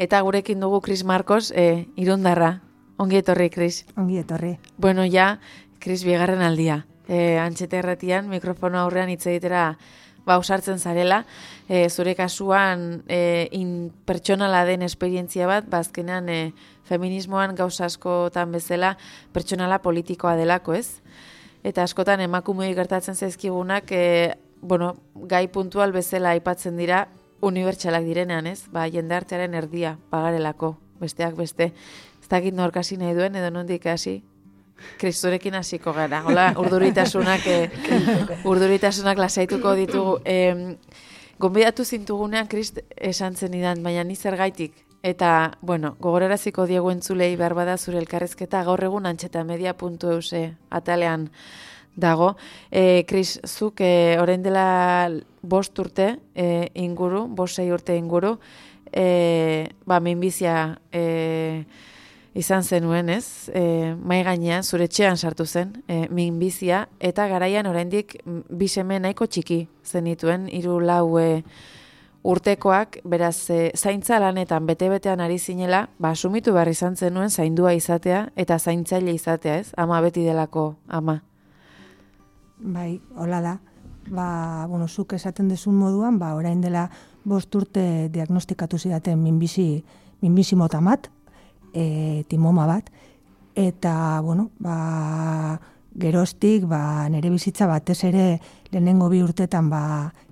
Eta gurekin dugu Kris Marcos, Irundarra. Ongi etorri, Kris. Ongi etorri. Bueno, ja, Kris, bigarren aldia. Antxete erratian, mikrofono aurrean hitz egitera ausartzen zarela, zure kasuan pertsonala den esperientzia bat, azkenean feminismoan gauza askotan bezala pertsonala politikoa delako, ez? Eta askotan emakumeei gertatzen zaizkigunak, gai puntual bezala aipatzen dira unibertsalak direnean, ez? Jendartearen erdia pagarelako, besteak beste. Ez dakit nork hasi nahi duen, edo nondik hasi? Kristurekin hasiko gara. Hola, urduritasunak lasaituko ditugu. Gonbidatu zintugunean Krist esan zenidan, baina ni zergaitik. Eta, gogoraraziko diegu entzulei behar bada zure elkarrezketa gaur egun antxetamedia.eus atalean dago. Kris, zuk orain dela 5 urte inguru, 6 urte inguru, minbizia izan zenuen, ez? Mai gainean, zure etxean sartu zen, minbizia, eta garaian oraindik 2 seme nahiko txiki zenituen, 3-4 urtekoak, beraz, zaintza lanetan bete-betean ari zinela, asumitu behar izan zenuen zaindua izatea, eta zaintzaile izatea, ez? Ama beti delako ama. Bai, hola da. Zuk esaten dezun moduan, orain dela 5 urte diagnostikatu zidaten minbizi mota bat, timoma bat, eta, geroztik, nire bizitza batez ere lehenengo 2 urtetan,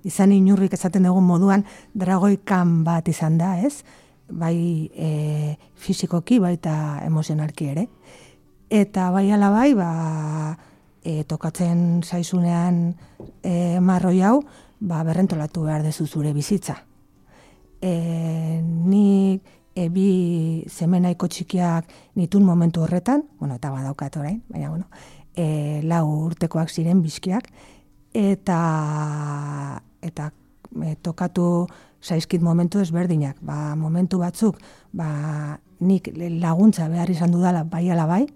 izan inurrik esaten dugun moduan, dragoikan bat izan da, ez? Bai fizikoki, baita emozionalki ere. Eta bai alabai, tokatzen zaizunean marroi hau, berrentolatu behar dezu zure bizitza. Nik bi semenaiko txikiak nitun momentu horretan, eta badaukat orain, baina 4 urtekoak ziren bizkiak, eta tokatu zaizkit momentu ezberdinak. Momentu batzuk, nik laguntza behar izan dudala bai ala bai,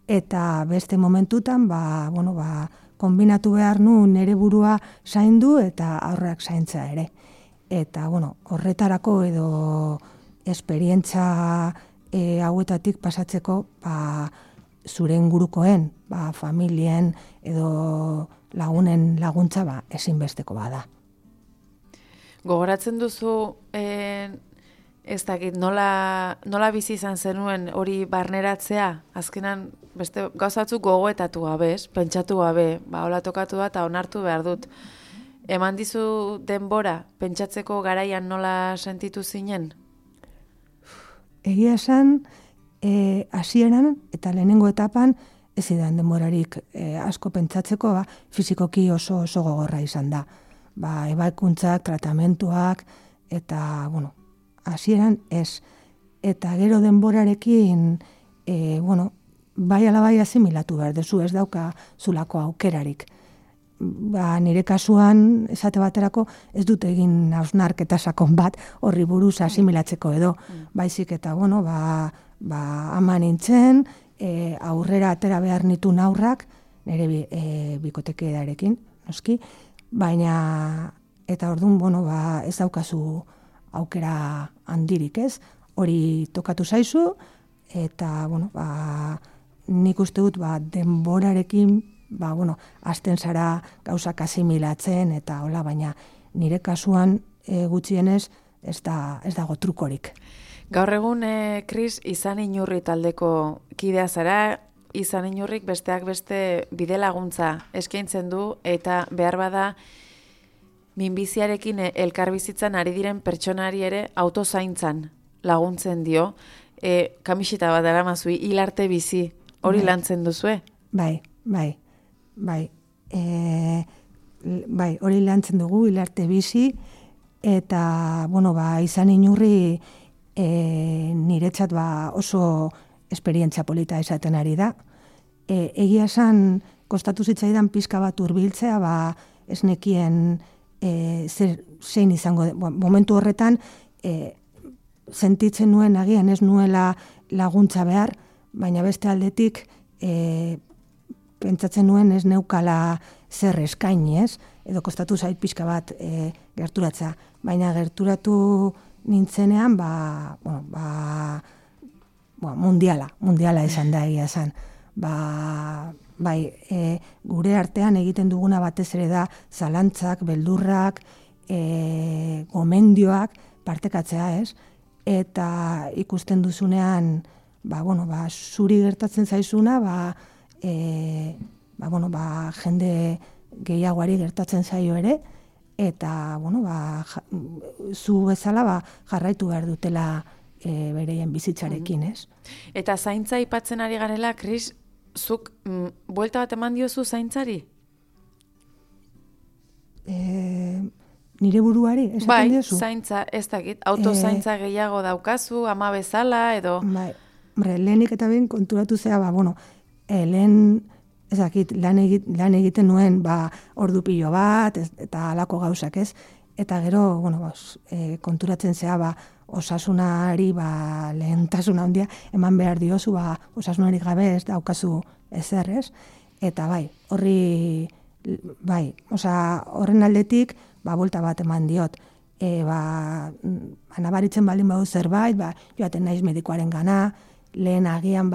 eta beste momentutan, kombinatu behar nu nere burua zaindu eta aurrak zaintza ere. Eta, horretarako edo esperientza hauetatik pasatzeko, zure ingurukoen, familien edo lagunen laguntza ezinbesteko bada. Gogoratzen duzu, ez dakit, nola bizi izan zenuen hori barneratzea? Azkenan, beste gauzatzuk gogoetatu gabe, pentsatu gabe, hola tokatu da eta onartu behar dut. Eman dizu denbora, pentsatzeko garaian nola sentitu zinen? Egia esan, hasieran eta lehenengo etapan, ez zidan denborarik asko pentsatzeko, fizikoki oso gogorra izan da. Ebaikuntzak, tratamentuak, eta, hasieran ez. Eta gero denborarekin, bai ala bai asimilatu behar dezu, ez dauka zulako aukerarik. Nire kasuan, esate baterako, ez dut egin hausnarketa sakon bat horri buruz asimilatzeko edo. Baizik eta, ama nintzen, aurrera atera behar nituen aurrak, nire bikotekidearekin, noski, baina, eta orduan, ez daukazu aukera handirik, ez? Hori tokatu zaizu, eta, nik uste dut, denborarekin, azten zara gauzak asimilatzen, eta hola, baina nire kasuan gutxienez ez dago trukorik. Gaur egun, Kris, Izan Inurri taldeko kidea zara, Izan Inurrik besteak beste bide laguntza eskaintzen du, eta behar bada minbiziarekin elkarbizitzan ari diren pertsonari ere autozaintzan laguntzen dio. Kamisita bat daramazui, hilarte bizi, hori lantzen duzue? Bai, hori lantzen dugu, hilarte bizi, eta, Izan Inurri niretzat oso esperientzia polita esaten ari da. Egia esan, kostatu zitzaidan pizka bat hurbiltzea, ez nekien zein izango, momentu horretan, sentitzen nuen agian ez nuela laguntza behar, baina beste aldetik, pentsatzen nuen ez neukala zer eskaini, ez? Edo kostatu zait pixka bat gerturatza. Baina gerturatu nintzenean, mundiala izan da egia esan. Gure artean egiten duguna batez ere da zalantzak, beldurrak, gomendioak partekatzea, ez? Eta ikusten duzunean, zuri gertatzen zaizuna, jende gehiagoari gertatzen zaio ere, eta, zu bezala jarraitu behar dutela bereien bizitzarekin, ez? Eta zaintza aipatzen ari garela, Kris, zuk buelta bat eman diozu zaintzari? Nire buruari, esaten diozu? Bai, zaintza, ez dakit, autozaintza gehiago daukazu, ama bezala, edo... Lehenik eta behin konturatu zea, lehen, ez dakit, lan egiten nuen, ordu pilo bat, eta halako gauzak, ez? Eta gero, konturatzen zea, osasunari, lehentasuna handia, eman behar diozu, osasunari gabe ez daukazu ezer, ez? Eta horren aldetik, buelta bat eman diot. Nabaritzen baldin badu zerbait, joaten naiz medikoaren gana, lehen agian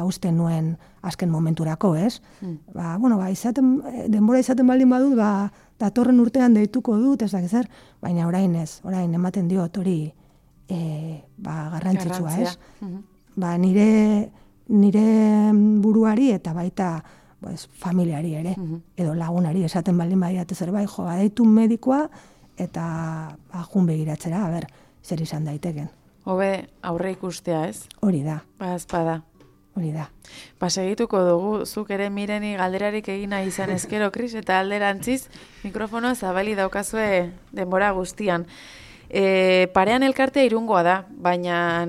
usten nuen azken momenturako, ez? Denbora izaten baldin badut, datorren urtean deituko dut, ez dakit zer, baina orain ez, orain ematen diot hori garrantzitsua, ez? Nire buruari eta baita familiari ere, edo lagunari esaten baldin badiate zerbait, deitu medikoa eta jun begiratzera, zer izan daiteken. Hobe aurre ikustea, ez? Hori da. Ezpada. hori da. Segituko dugu, zuk ere Mireni galderarik egina izan ezkero, Kris, eta alderantziz mikrofonoa zabali daukazue denbora guztian. Parean elkartea Irungoa da, baina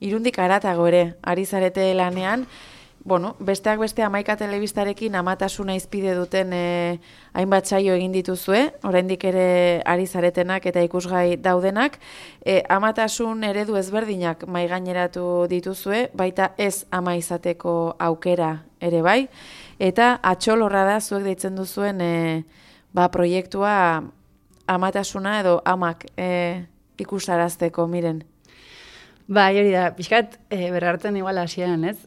Irundik haratago ere, ari zarete lanean, besteak beste 11 telebistarekin amatasuna izpide duten hainbat saio egin dituzue, oraindik ere ari zaretenak eta ikusgai daudenak, amatasun eredu ezberdinak maigaineratu dituzue, baita ez ama izateko aukera ere bai, eta atxolorra da zuek deitzen duzuen proiektua amatasuna edo amak ikusarazteko, Miren. Bai, hori da, pixkat berrartzen igual hasieran, ez?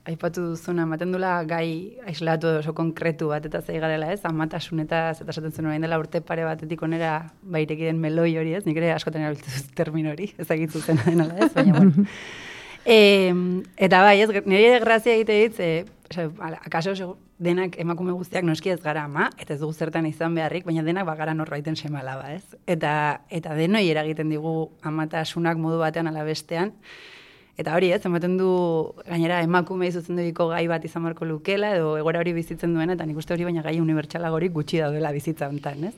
Aipatu duzuna, ematen dula gai aislatu oso konkretu bat eta zei garela, ez? Amatasunetaz eta esaten zuen orain dela urte pare batetik onera baireki den meloi hori, ez? Nik ere askotan erabiltzen termin hori, ezagitzu zena denala, ez? Baina, bueno. Eta bai, ez, nire grazia egite ditz, akaso denak emakume guztiak noski ez gara ama, eta ez dugu zertan izan beharrik, baina denak bagara norbaiten semalaba, ez? Eta denoi eragiten digu amatasunak modu batean ala bestean. Eta hori, ez, ematen du gainera emakume zuzenduriko gai bat izan beharko lukela, edo egoera hori bizitzen duena, eta nik uste hori baina gai unibertsalagorik gutxi daudela bizitza honetan, ez?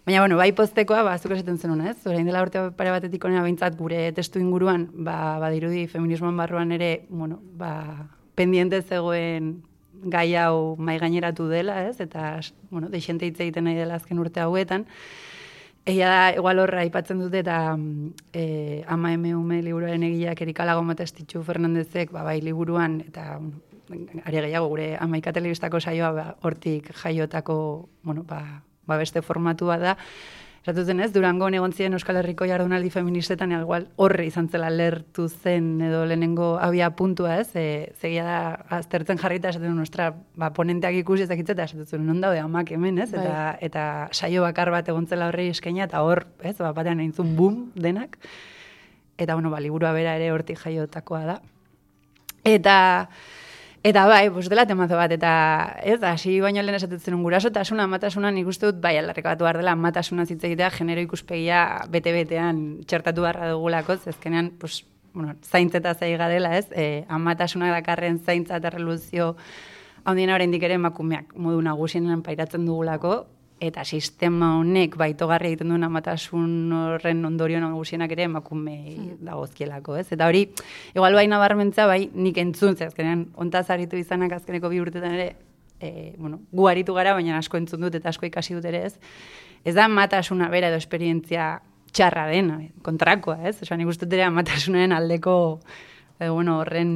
Baina, bueno, bai postekoa, zuk esaten zenuna, ez? Orain dela urte pare batetik onena behintzat gure testu inguruan, badirudi feminismoan barruan ere, pendiente zegoen gai hau maigaineratu dela, ez? Eta, deixente hitz egiten nahi dela azken urte hauetan. Egia da, igual horra aipatzen dute, eta ama eme liburuaren egileak Erika Lagomatestitxu Fernandezek, bai liburuan, eta ari gehiago gure 11 telebistako saioa hortik jaiotako, beste formatua da. Esatuten ez, Durangon egon ziren Euskal Herriko jardunaldi feministetan, igual horre izan zela lertu zen edo lehenengo abia puntua, ez? Zegia da, aztertzen jarrita esaten nostra, ponenteak ikusi ezakitzeta, esaten non daude amak hemen, ez? Eta saio bakar bat egon zela horrei eskaina, eta hor, ez? Batean eintzun boom denak. Eta, liburua bera ere hortik jaiotakoa da. Eta bai, dela temazo bat, eta ez, hasi baino lehen esatetzen gurasotasuna, amatasuna, nik uste dut, bai, aldarrikatu behar dela, amatasuna hitz egitea, genero ikuspegia bete-betean txertatu beharra dugulako, ezkenean, zaintzeta zai garela, ez, amatasunak dakarren zaintza eta reluzio handiena oraindik ere emakumeak modu nagusienean pairatzen dugulako, eta sistema honek baitogarri egiten duen amatasun horren ondorio nagusienak ere emakume dagozkielako, ez? Eta hori, igual bai nabarmentza, bai nik entzun, azkenean ontaz aritu izanak azkeneko 2 urtetan ere, gu aritu gara, baina asko entzun dut eta asko ikasi dut ere, ez? Ez da amatasuna bera edo esperientzia txarra dena, kontrakoa, ez? Osa, nik uste ere amatasunaren aldeko, horren,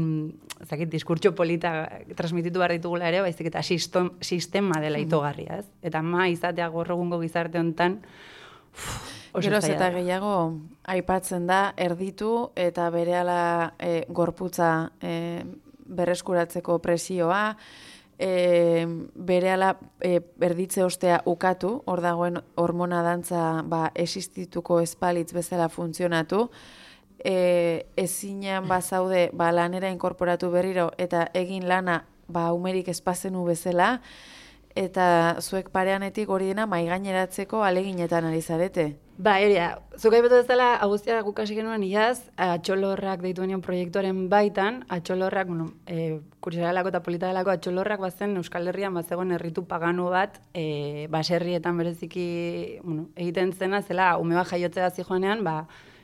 diskurtso polita transmititu behar ditugula ere, baizik eta sistema dela itogarria, ez? Eta ama izatea gaur egungo gizarte honetan, Geroz eta gehiago aipatzen da erditu eta berehala gorputza berreskuratzeko presioa, berehala erditze ostea ukatu, hor dagoen hormona dantza existituko espalitz bezala funtzionatu, ezinean bazaude lanera inkorporatu berriro eta egin lana umerik espazenu bezala, eta zuek pareanetik hori dena maigaineratzeko aleginetan ari zarete. Hori da, zuk aipatu bezala, agustia gukasi genuen iaz, atxolorrak deitu genion proiektuaren baitan, atxolorrak, kuriosarelako eta polita delako, atxolorrak bazen Euskal Herrian bazegoen herritu paganu bat, baserrietan bereziki egiten zena, zela ume bat jaiotzea zijoanean,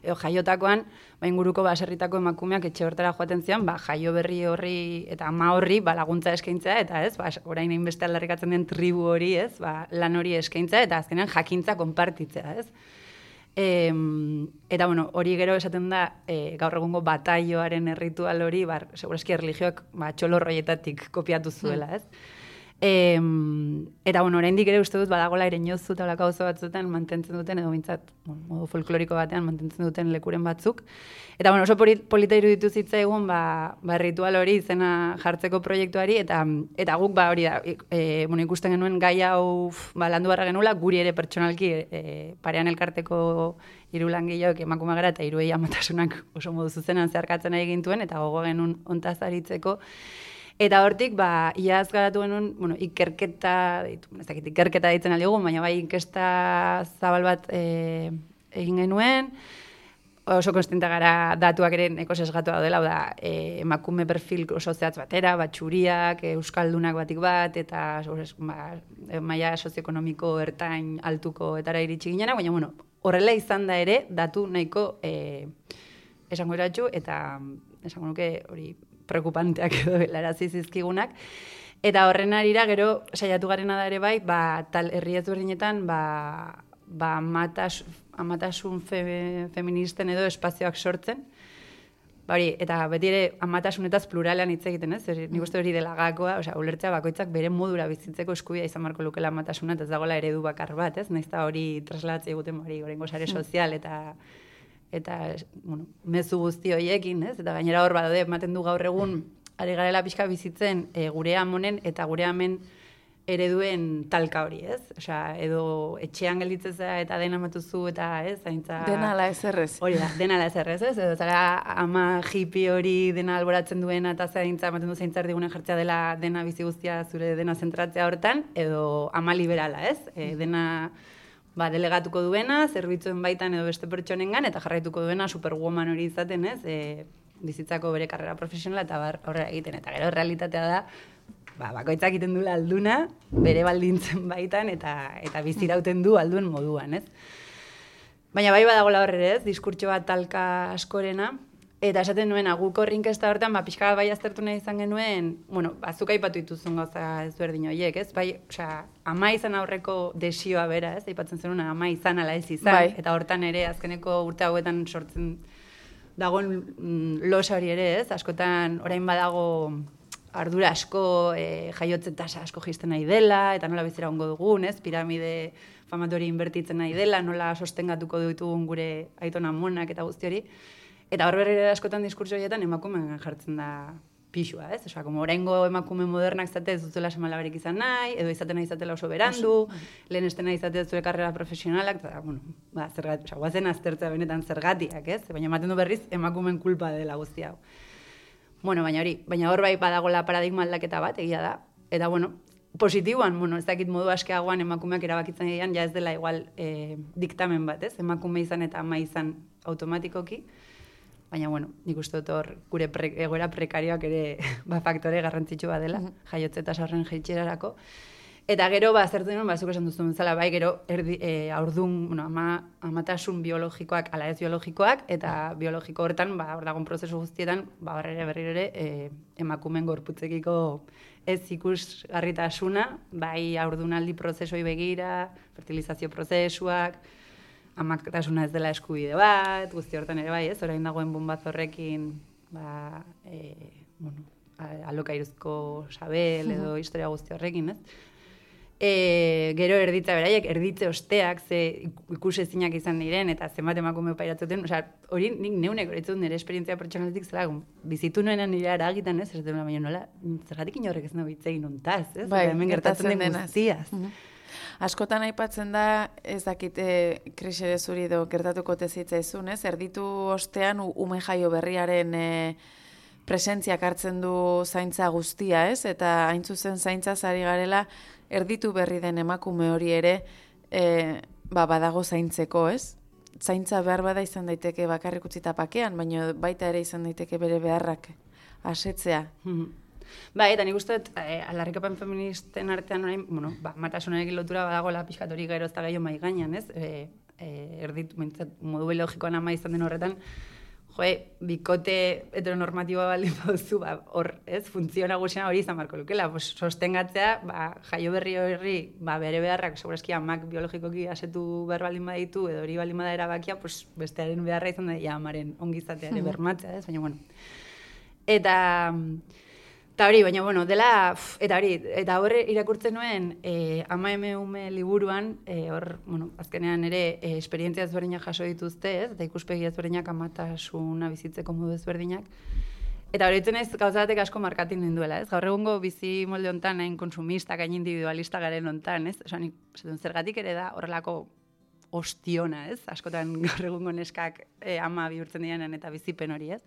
jaiotakoan, inguruko baserritako emakumeak etxe hortara joaten zian, jaio berri horri eta ama horri laguntza eskaintzea, eta ez, orain hainbeste aldarrikatzen den tribu hori, ez, lan hori eskaintzea, eta azkenean jakintza konpartitzea, ez. Eta, hori gero esaten da, gaur egungo bataioaren erritual hori, segurazki erlijioak txolorroietatik kopiatu zuela, ez. Eta, oraindik ere uste dut badagola ere inozu eta olako oso batzuetan mantentzen duten, edo bintzat, modu folkloriko batean mantentzen duten lekuren batzuk. Eta, oso polita iruditu zitzaigun, ritual hori izena jartzeko proiektuari, eta guk, hori da, ikusten genuen gai hau landu barra genuela, guri ere pertsonalki parean elkarteko 3 langileok emakume gara, eta 3 amatasunak oso modu zuzenan zeharkatzen egin gintuen, eta gogo genuen ontaz aritzeko. Eta hortik, iaz garatu genuen, ikerketa ditzen aldigun, baina inkesta zabal bat egin genuen, oso konstienta gara datuak ere neko sesgatu daudela, da, emakume perfil oso zehatz batera, txuriak, euskaldunak batik bat, eta maila sozioekonomiko ertain altuko etara iritsi ginena, baina, bueno, horrela izan da ere, datu nahiko esango eratxu, eta esango nuke hori preocupanteak edo helarazi zizkigunak. Eta horren arira, gero, saiatu garena da ere bai, tal herri ezberdinetan, amatasun feministen edo espazioak sortzen. Eta beti ere amatasunetaz pluralean hitz egiten, ez? Nik uste hori dela gakoa, ulertzea bakoitzak bere modura bizitzeko eskubidea izan marko lukela amatasuna, eta ez dagoela eredu bakar bat, ez? Nahiz eta hori traslatzea eguten orengo sare sozial eta bueno, mezu guzti horiekin, ez? Eta gainera hor badaude, ematen du gaur egun, ari garela pixka bizitzen gure amonen eta gure amen ereduen talka hori, ez? Edo etxean gelditzeza eta dena matuzu eta, ez? Zaintza... Dena ala ezerrez. Hori da, dena ala ezerrez, ez? Edo zara ama hippie hori dena alboratzen duena eta zaintza, ematen du zaintzar digunen jartzea dela dena bizi guztia zure dena zentratzea hortan, edo ama liberala, ez? Dena... delegatuko duena, zerbitzuen baitan edo beste pertsonengan, eta jarraituko duena superwoman hori izaten, ez? Bizitzako bere karrera profesionala eta horrela egiten. Eta gero realitatea da, bakoitzak egiten duela alduna, bere baldintzen baitan, eta bizirauten du alduen moduan, ez? Baina bai badagoela horre, ez? Diskurtso bat talka askorena, eta esaten nuen, guk horrinkesta hortan, pixka bai aztertu nahi izan genuen, bueno, zuk aipatu dituzun gauza ezberdin horiek, ez? Bai, ama izan aurreko desioa bera, ez? Aipatzen zenuen, ama izan ala ez izan, eta hortan ere, azkeneko urte hauetan sortzen dagoen losa hori ere, ez? Askotan, orain badago ardura asko, jaiotze tasa asko jisten nahi dela, eta nola bizera ongo dugun, ez? Piramide famatori inbertitzen nahi dela, nola sostengatuko ditugun gure aitona monak eta guzti hori. Eta hor berriro askotan diskurtso horietan emakumeen jartzen da pixua, ez? Como oraingo emakume modernak izate ez dutela semalabarik izan nahi, edo izaten nahi izatela oso berandu, lehen estena izate zure karrera profesionalak, eta, bueno, zergatik, guazen aztertzea benetan zergatiak, ez? Baina ematen du berriz emakumeen kulpa dela guzti hau. Bueno, baina hor bai badagola paradigma aldaketa bat, egia da. Eta, bueno, positiboan, bueno, ez dakit modu askeagoan emakumeak erabakitzen egian, ja ez dela igual diktamen bat, ez? Emakume izan eta ama izan automatikoki. Baina, bueno, nik uste dut hor gure egoera prekarioak ere faktore garrantzitsu bat dela, jaiotze eta sarren jeitxerarako. Eta gero, zertu nuen, zuk esan duzun bezala, bai, gero aurdun, bueno, amatasun biologikoak, ala ez biologikoak, eta biologiko horretan, hor dagoen prozesu guztietan, berriro ere, emakumen gorputzekiko ez ikusgarritasuna, bai aurdunaldi prozesoi begira, fertilizazio prozesuak, amatasuna ez dela eskubide bat, guzti hortan ere bai, ez? Orain dagoen bombaz horrekin, alokairuzko sabel edo historia guzti horrekin, ez? Gero erditza beraiek, erditze osteak, ze ikusezinak izan diren, eta zenbat emakume pairatzen, hori nik neunek horitzen nire esperientzia pertsonaletik zela, bizitu nuenan nire aragitan, ez? Ez dela, baina nola, zergatik inorrek ez nago hitzegin ontaz, ez? Bai, hemen gertatzen den guztiaz. Askotan aipatzen da, ez dakite krisere zuri edo gertatuko tezitzaizun, ez? Erditu ostean ume jaio berriaren presentziak hartzen du zaintza guztia, ez? Eta hain zuzen zaintza zari garela, erditu berri den emakume hori ere badago zaintzeko, ez? Zaintza behar bada izan daiteke bakarrik utzita pakean, baina baita ere izan daiteke bere beharrak asetzea. Bai, eta nik uste, aldarrikapen feministen artean orain, bueno, matasunarekin lotura badagoela pixkat hori gero ez da gehiago mai gainean, ez? Modu biologikoan ama izan den horretan, bikote heteronormatiboa baldin bauzu, hor, ez, funtzio nagusiena hori izan marko lukela, sostengatzea, jaio berri hori, bere beharrak, segurazki amak biologikoki asetu behar baldin baditu, edo hori baldin bada erabakia, bestearen beharra izan da, amaren ongizateare bermatzea, ez, baina, bueno. Eta hori, baina, bueno, dela, eta horre irakurtzen nuen, ama ume liburuan, hor, bueno, azkenean ere, esperientzia ezberdinak jaso dituzte, ez, eta ikuspegi ezberdinak amatasuna bizitzeko modu ezberdinak. Eta hori ez gauzatek asko markatin ninduela, ez? Gaur egungo bizi molde hontan, hain konsumistak, hain individualista garen hontan, ez? Osa, zergatik ere da horrelako ostiona, ez? Askotan gaur egungo neskak ama bihurtzen dianen eta bizipen hori, ez?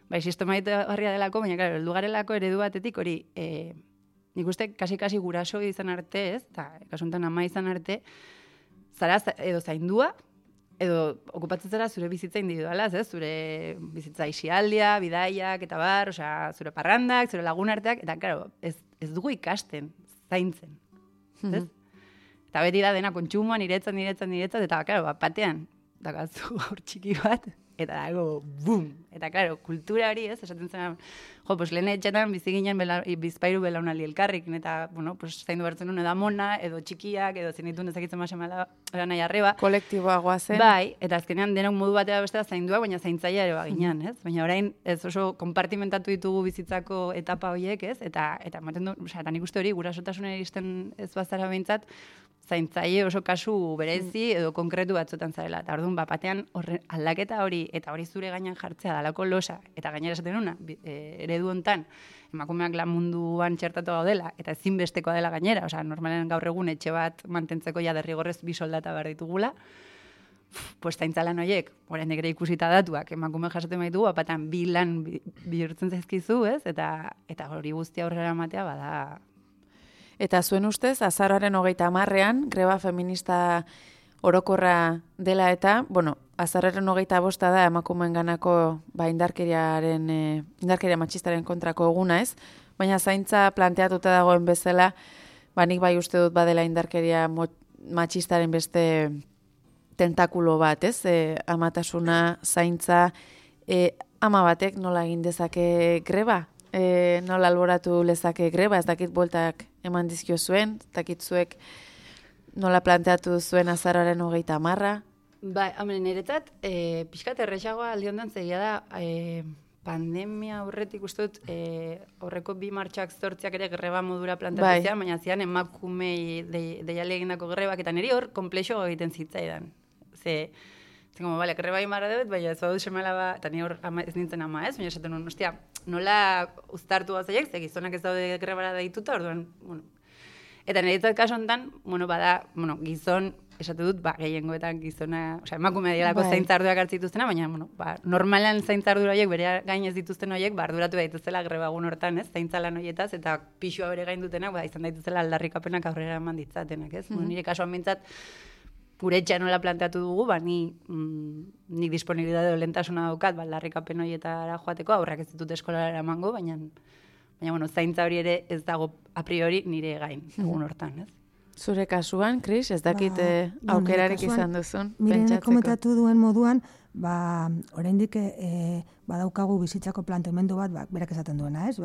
Bai, sistemaita garria delako, baina, claro, heldu garelako eredu batetik hori, nik uste, kasi guraso izan arte, ez, eta kasuntan ama izan arte, zara edo zaindua, edo okupatzen zara zure bizitza individualaz, zure bizitza isialdia, bidaiak, eta bar, osea, zure parrandak, zure lagunarteak, eta, claro, ez dugu ikasten, zaintzen, ez? Eta beti da dena kontsumoan, niretzat, eta, claro, batean, dakazu gaur txiki bat, eta dago, bum! Eta, claro, kultura hori, ez, esaten zen, pues lehen etxetan bizi ginen bizpairu belaunaldi elkarrikin, eta, bueno, pues zaindu bertzen nuen edamona, edo txikiak, edo zenitun ezakitzen masemala, nahi arreba. Kolektiboa goazen. Bai, eta azkenean denok modu batera bestea zainduak, baina zaintzaia ere baginan, ez? Baina orain, ez oso konpartimentatu ditugu bizitzako etapa horiek, ez? Eta ematen du, eta nik uste hori, gurasotasunera iristen ez bazara behintzat, zaintzaile oso kasu berezi edo konkretu batzutan zarela. Eta orduan, batean aldaketa hori, eta hori zure gainan jartzea dalako losa, eta gainera esaten nuna, eredu hontan, emakumeak lan munduan txertatu gaudela, eta ezinbestekoa dela gainera, osea, normalen gaur egun etxe bat mantentzeko ja derrigorrez 2 soldata behar ditugula, pues zaintzalan horiek, orain ere ikusita datuak, emakume jasoten baitugu, apatan 2 lan bihurtzen zaizkizu, ez? Eta hori guztia aurrera ematea bada. Eta zuen ustez, azaroaren 30ean, greba feminista orokorra dela eta, bueno, azaroaren 25 da emakumeen ganako indarkeria matxistaren kontrako eguna, ez? Baina zaintza planteatuta dagoen bezala, nik bai uste dut badela indarkeria matxistaren beste tentakulo bat, ez? Amatasuna, zaintza, ama batek nola egin dezake greba? Nola alboratu lezake greba, ez dakit bueltak eman dizkio zuen, ez dakit zuek nola planteatu zuen azaroaren 30. Bai, hombre, niretzat, pixkat errexagoa aldiondan zegia da, pandemia aurretik uste dut, horreko 2 martxak 8 ere greba modura plantatu zian, baina zian emakumei deiale egindako grebak, eta niri hor komplexo egiten zitzaidan. Como, vale, greba imara dut, baina ez badut semela ba, eta ni hor ez nintzen ama ez, baina esaten nuen, ostia, nola uztartu gazaiek, ze gizonak ez daude grebara deituta, orduan, bueno. Eta niretzat kaso honetan, gizon, esate dut, gehiengoetan gizona, osea, emakumea dialako zaintzarduak hartzituztena, baina, normalan zaintzardura horiek, bere gain ez dituzten horiek, arduratu daituzela grebagun hortan, ez, zaintzalan horietaz, eta pixua bere gain dutenak, izan daituzela aldarrikapenak aurrera eman ditzatenak, ez? Nire kasuan bintzat, gure etxea nola planteatu dugu, nik disponibilitate lentasuna daukat, aldarrikapen horietara joateko, aurrak ez ditut eskolara eramango, baina, zaintza hori ere ez dago a priori nire gain, egun hortan, ez? Zure kasuan, Kris, ez dakit aukerarik izan duzun, pentsatzeko. Komentatu duen moduan, oraindik badaukagu bizitzako planteamendu bat, berak esaten duena, ez?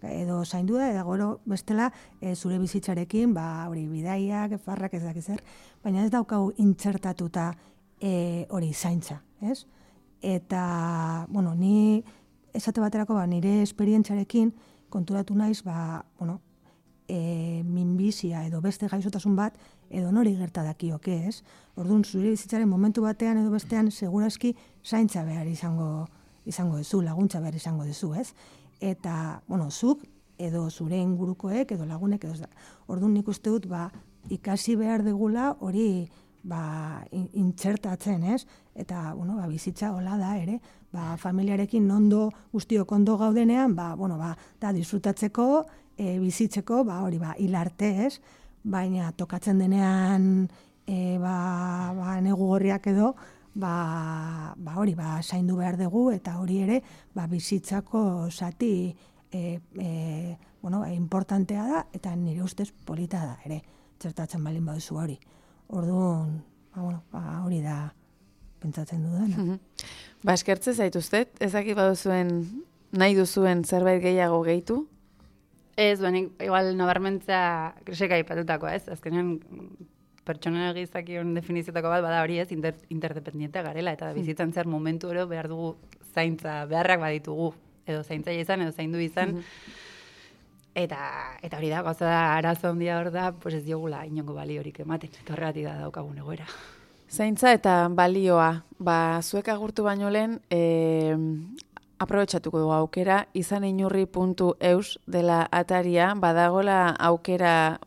Edo zaindu da, edo gero bestela zure bizitzarekin, hori bidaiak, farrak ez dakiz zer, baina ez daukagu intzertatuta hori zaintza, ez? Eta, ni esate baterako nire esperientzarekin konturatu naiz, minbizia edo beste gaixotasun bat edo nori gerta dakioke, ez? Orduan, zure bizitzaren momentu batean edo bestean segurazki zaintza behar izango duzu, laguntza behar izango duzu, ez? Eta, zuk edo zure ingurukoek edo lagunek edo orduan nik uste dut, ikasi behar degula hori intzertatzen, ez? Eta, bizitza hola da ere, familiarekin guztiok ondo gaudenean, da disfrutatzeko, bizitzeko, hori hilarte, ez? Baina tokatzen denean negu gorriak edo, hori zaindu behar dugu, eta hori ere bizitzako zati importantea da, eta nire ustez polita da ere, txertatzen balin baduzu hori. Orduan, hori da pentsatzen dudana. Eskertze zaituztet, ezakit baduzuen nahi duzuen zerbait gehiago gehitu? Ez, igual nabarmentza Krisek aipatutako, ez? Azkenean pertsona gizakion definiziotako bat bada hori ez, interdependiente garela, eta bizitzan zer momentu ero behar dugu zaintza, beharrak baditugu, edo zaintzaile izan, edo zaindu izan, eta hori da, gauza da, arazo handia hor da, pues ez diogula inongo baliorik ematen, eta horregatik da daukagun egoera. Zaintza eta balioa, zuek agurtu baino lehen, aprobetxatuko dugu aukera, izaninurri.eus dela ataria, badagola aukera,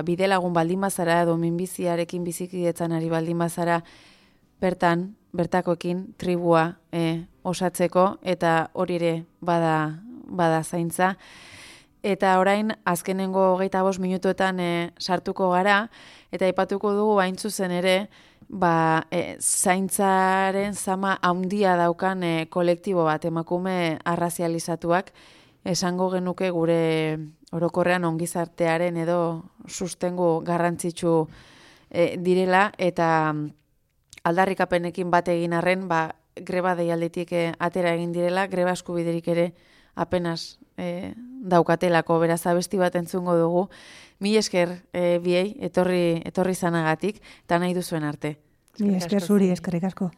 bidelagun baldin bazara, edo minbiziarekin bizikidetzan ari baldin bazara, bertakoekin, tribua osatzeko, eta hori ere bada zaintza. eta orain azkenengo 25 minutuetan sartuko gara, eta aipatuko dugu hain zuzen ere, zaintzaren zama handia daukan kolektibo bat, emakume arrazializatuak, esango genuke gure orokorrean ongizartearen edo sustengu garrantzitsu direla, eta aldarrikapenekin bat egin arren, greba deialditik atera egin direla, greba eskubiderik ere apenas daukatelako, beraz abesti bat entzungo dugu. Mil esker biei, etorri zanagatik, eta nahi duzuen arte. Mil esker zuri, eskerrik asko.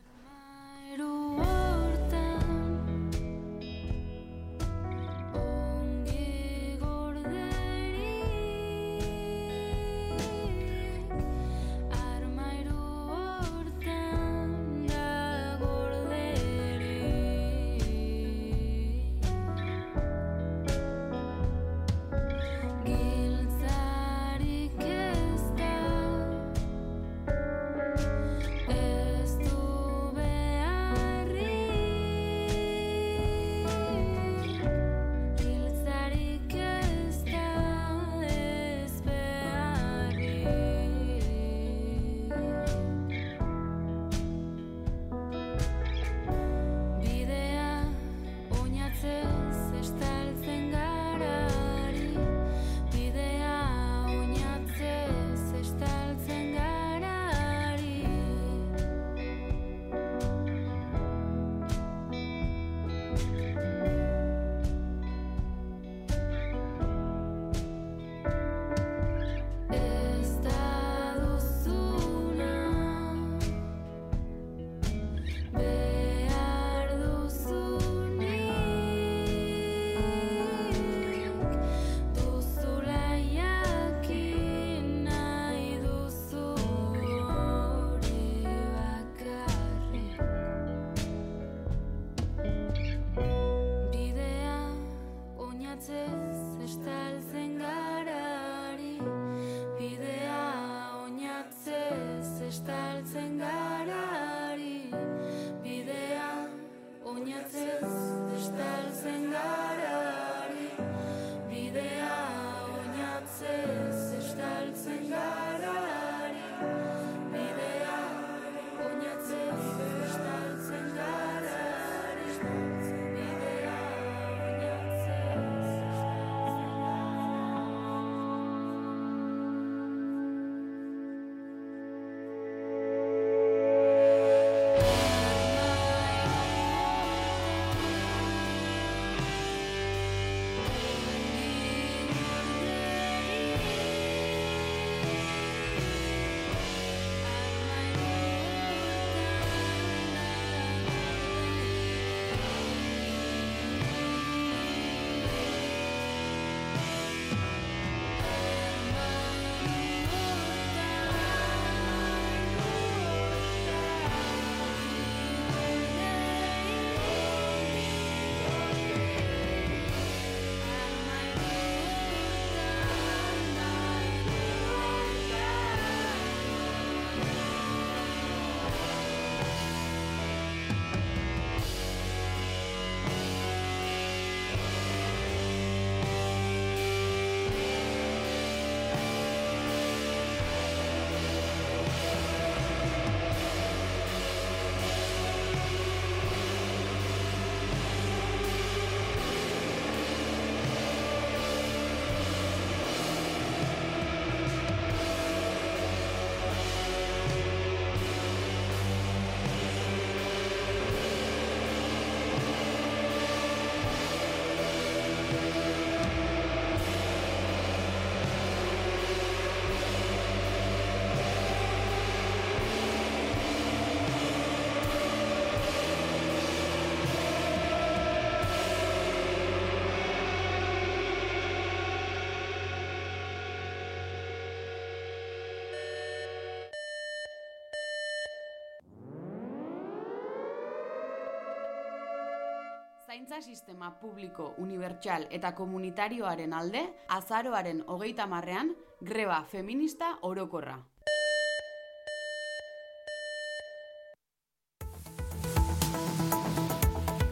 Zaintza sistema publiko, unibertsal eta komunitarioaren alde, azaroaren 30ean, greba feminista orokorra.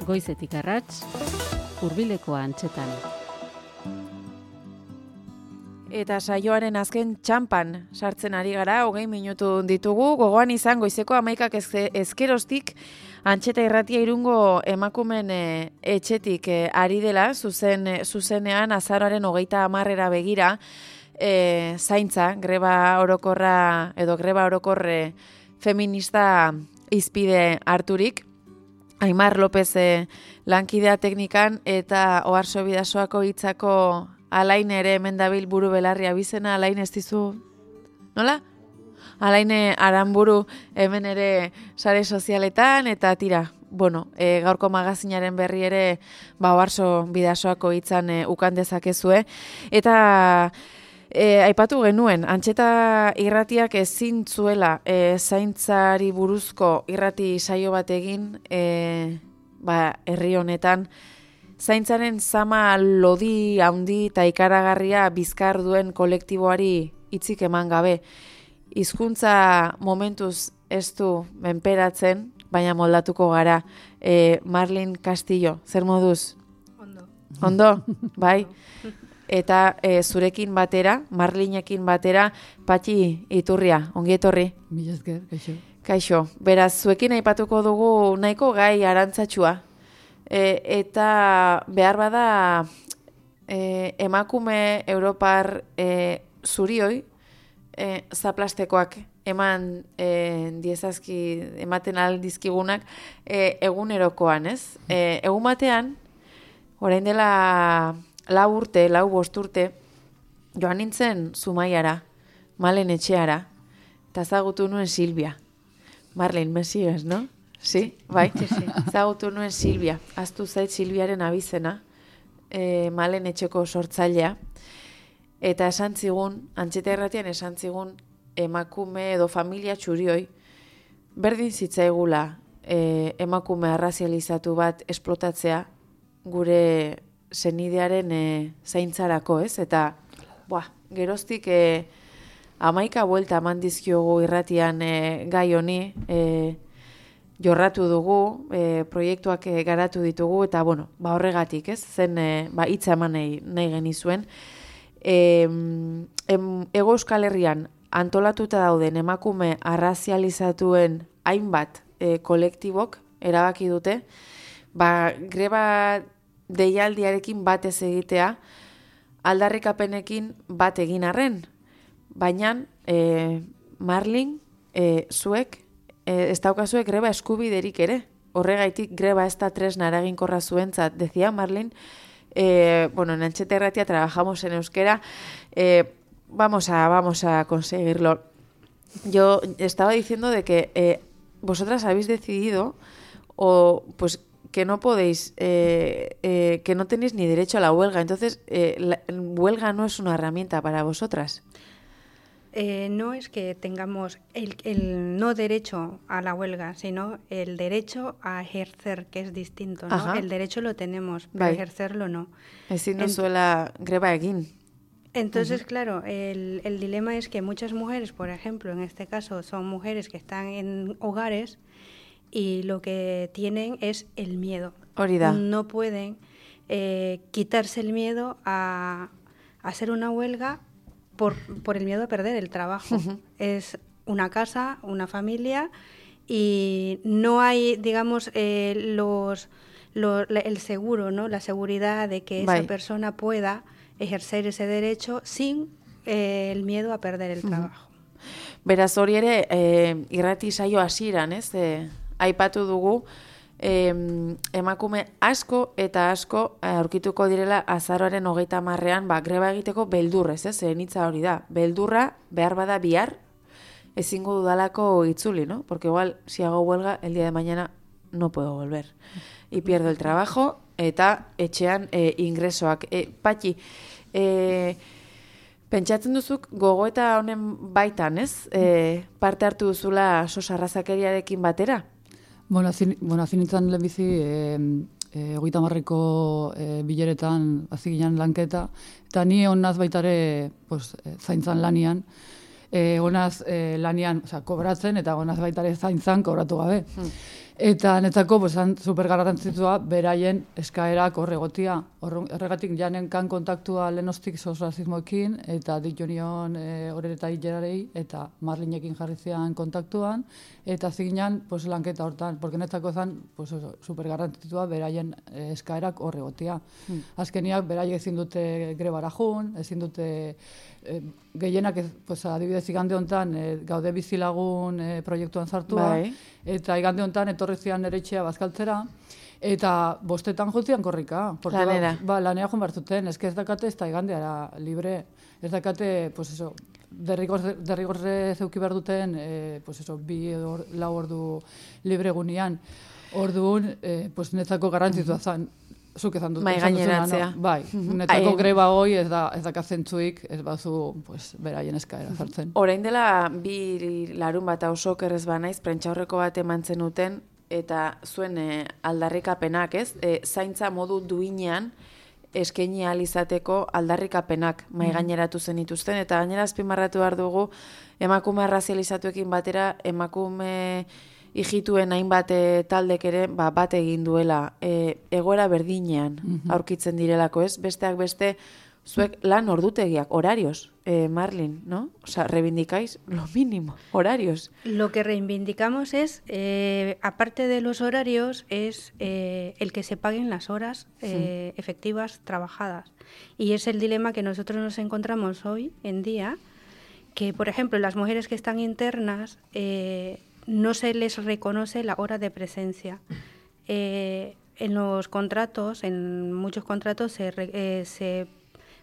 Goizetik arrats, hurbileko antzetan. eta saioaren azken txampan sartzen ari gara, 20 minutu ditugu, gogoan izan goizeko 11 ezkeroztik, Antxeta Irratia Irungo emakumen etxetik ari dela, zuzenean azaroaren 30 begira, zaintza, greba orokorre feminista izpide harturik, Aimar López lankidea teknikan eta Oarso Bidasoako hitzako Alain ere hemen dabil buru belarri abizena, Alain ez dizu, nola? Alain Aranburu hemen ere sare sozialetan eta tira, bueno, gaurko magazinaren berri ere Oarso Bidasoako hitzan ukan dezakezue. Eta aipatu genuen, Antxeta Irratiak ezin zuela zaintzari buruzko irrati saio bat egin herri honetan, zaintzaren zama lodi handi eta ikaragarria bizkar duen kolektiboari hitzik eman gabe. Hizkuntza momentuz ez du menperatzen, baina moldatuko gara. Marlin Castillo, zer moduz? Ondo, bai? Eta zurekin batera, Marlinekin batera, Patxi Iturria, ongi etorri. Mila esker, kaixo. Kaixo, beraz, zuekin aipatuko dugu nahiko gai arantzatxua. Eta behar bada emakume Europar zurioi zaplastekoak ematen aldizkigunak egunerokoan, ez? Egun batean, orain dela 4-5 urte, joan nintzen Zumaiara, Malen etxeara, eta zagutu nuen Silvia. Marlene, mesioez, no? Sí, bai, zagutu nuen Silvia. Aztu zait Silviaren abizena, Malen etxeko sortzailea. Eta esan zigun, Antxeta Irratian esan zigun, emakume edo familia txurioi, berdin zitzaigula emakume arrazializatu bat esplotatzea gure senidearen zaintzarako, ez? Eta, geroztik 11 buelta eman dizkiogu irratian gai honi, jorratu dugu, proiektuak garatu ditugu, eta, horregatik, ez? Zen, hitza eman nahi genizuen. Hego Euskal Herrian antolatuta dauden emakume arrazializatuen hainbat kolektibok erabaki dute, greba deialdiarekin bat ez egitea, aldarrikapenekin bat egin arren. Baina, Marlin, zuek, ez daukazuek greba eskubiderik ere. Horregaitik greba ez da tresna eraginkorra zuentzat. Decía Marlin, en Antxeta Irratia trabajamos en euskera, vamos a conseguirlo. Yo estaba diciendo de que vosotras habéis decidido, que no podéis, que no tenéis ni derecho a la huelga. Entonces, la huelga no es una herramienta para vosotras. No es que tengamos el no derecho a la huelga, sino el derecho a ejercer, que es distinto, ¿no? El derecho lo tenemos, pero ejercerlo no. Ezin duzuela greba egin. Entonces, claro, el dilema es que muchas mujeres, por ejemplo, en este caso, son mujeres que están en hogares y lo que tienen es el miedo. Hori da. No pueden quitarse el miedo a hacer una huelga por el miedo a perder el trabajo. Es una casa, una familia, y no hay, digamos, el seguro, ¿no? La seguridad de que esa persona pueda ejercer ese derecho sin el miedo a perder el trabajo. Beraz, hori ere, irrati saio hasieran, ez? Aipatu dugu, emakume asko eta asko aurkituko direla azaroaren 30ean greba egiteko beldurrez, ez? Hitza hori da. Beldurra behar bada bihar ezingo dudalako itzuli, ¿no? Porque igual si hago huelga el día de mañana no puedo volver y pierdo el trabajo eta etxean ingresoak. Patxi, pentsatzen duzuk gogoeta honen baitan, ez? Parte hartu duzula sos arrazakeriarekin batera? Bueno, hasi nintzen lehenbizi 30ko bileretan hasi ginen lanketa, eta ni honaz baitare zaintzan lanian, honaz lanian kobratzen, eta honaz baitare zaintzan kobratu gabe. Eta netzako, pues, super garrantzitsua beraien eskaerak horregotia. Horregatik janen kan kontaktua lehenostik sozrazismoekin, eta ditu nion horreta hilerarei, eta Marlinekin jarri zian kontaktuan, eta ziginan pues, lanketa hortan, porque netzako zan pues, super garrantzitsua beraien eskaerak horregotia. Azkeniak beraiek ezin dute grebara jun, ezin dute gehienak, pues, adibidez igande honetan gaude bizilagun proiektuan sartua, eta igande honetan etorri zian nere etxea bazkaltzera, eta 5 jutzian korrika. Lanera. Lanera joan bartzuten, ez dakate ez da igandeara libre, ez dakate, pues eso, derrigorre zeuki behar duten, pues eso, 2-4 ordu libre gunean. Orduan, pues netzako garrantzitua zan, zuk ezan dut. Mai gaineratzea. No? Bai, netzako greba hoi ez da zentzuik, ez bazu pues, beraien eskaera zartzen. Orain dela 2 larun bat oso kerrez banaiz, prentxaurreko bat eman zenuten, eta zuen aldarrikapenak, ez? Zaintza modu duinean eskaini ahal izateko aldarrikapenak mai gaineratu zenituzten, eta gainera azpimarratu behar dugu emakume arrazializatuekin batera, emakume ijituen hainbat taldek ere bat egin duela egoera berdinean aurkitzen direlako, ez? Besteak beste, zuek lan ordutegiak, horarios, Marlin, ¿no? O sea, reivindicáis lo mínimo, horarios. Lo que reivindicamos es, aparte de los horarios, es el que se paguen las horas efectivas trabajadas. Y es el dilema que nosotros nos encontramos hoy en día, que, por ejemplo, las mujeres que están internas no se les reconoce la hora de presencia. En los contratos, en muchos contratos se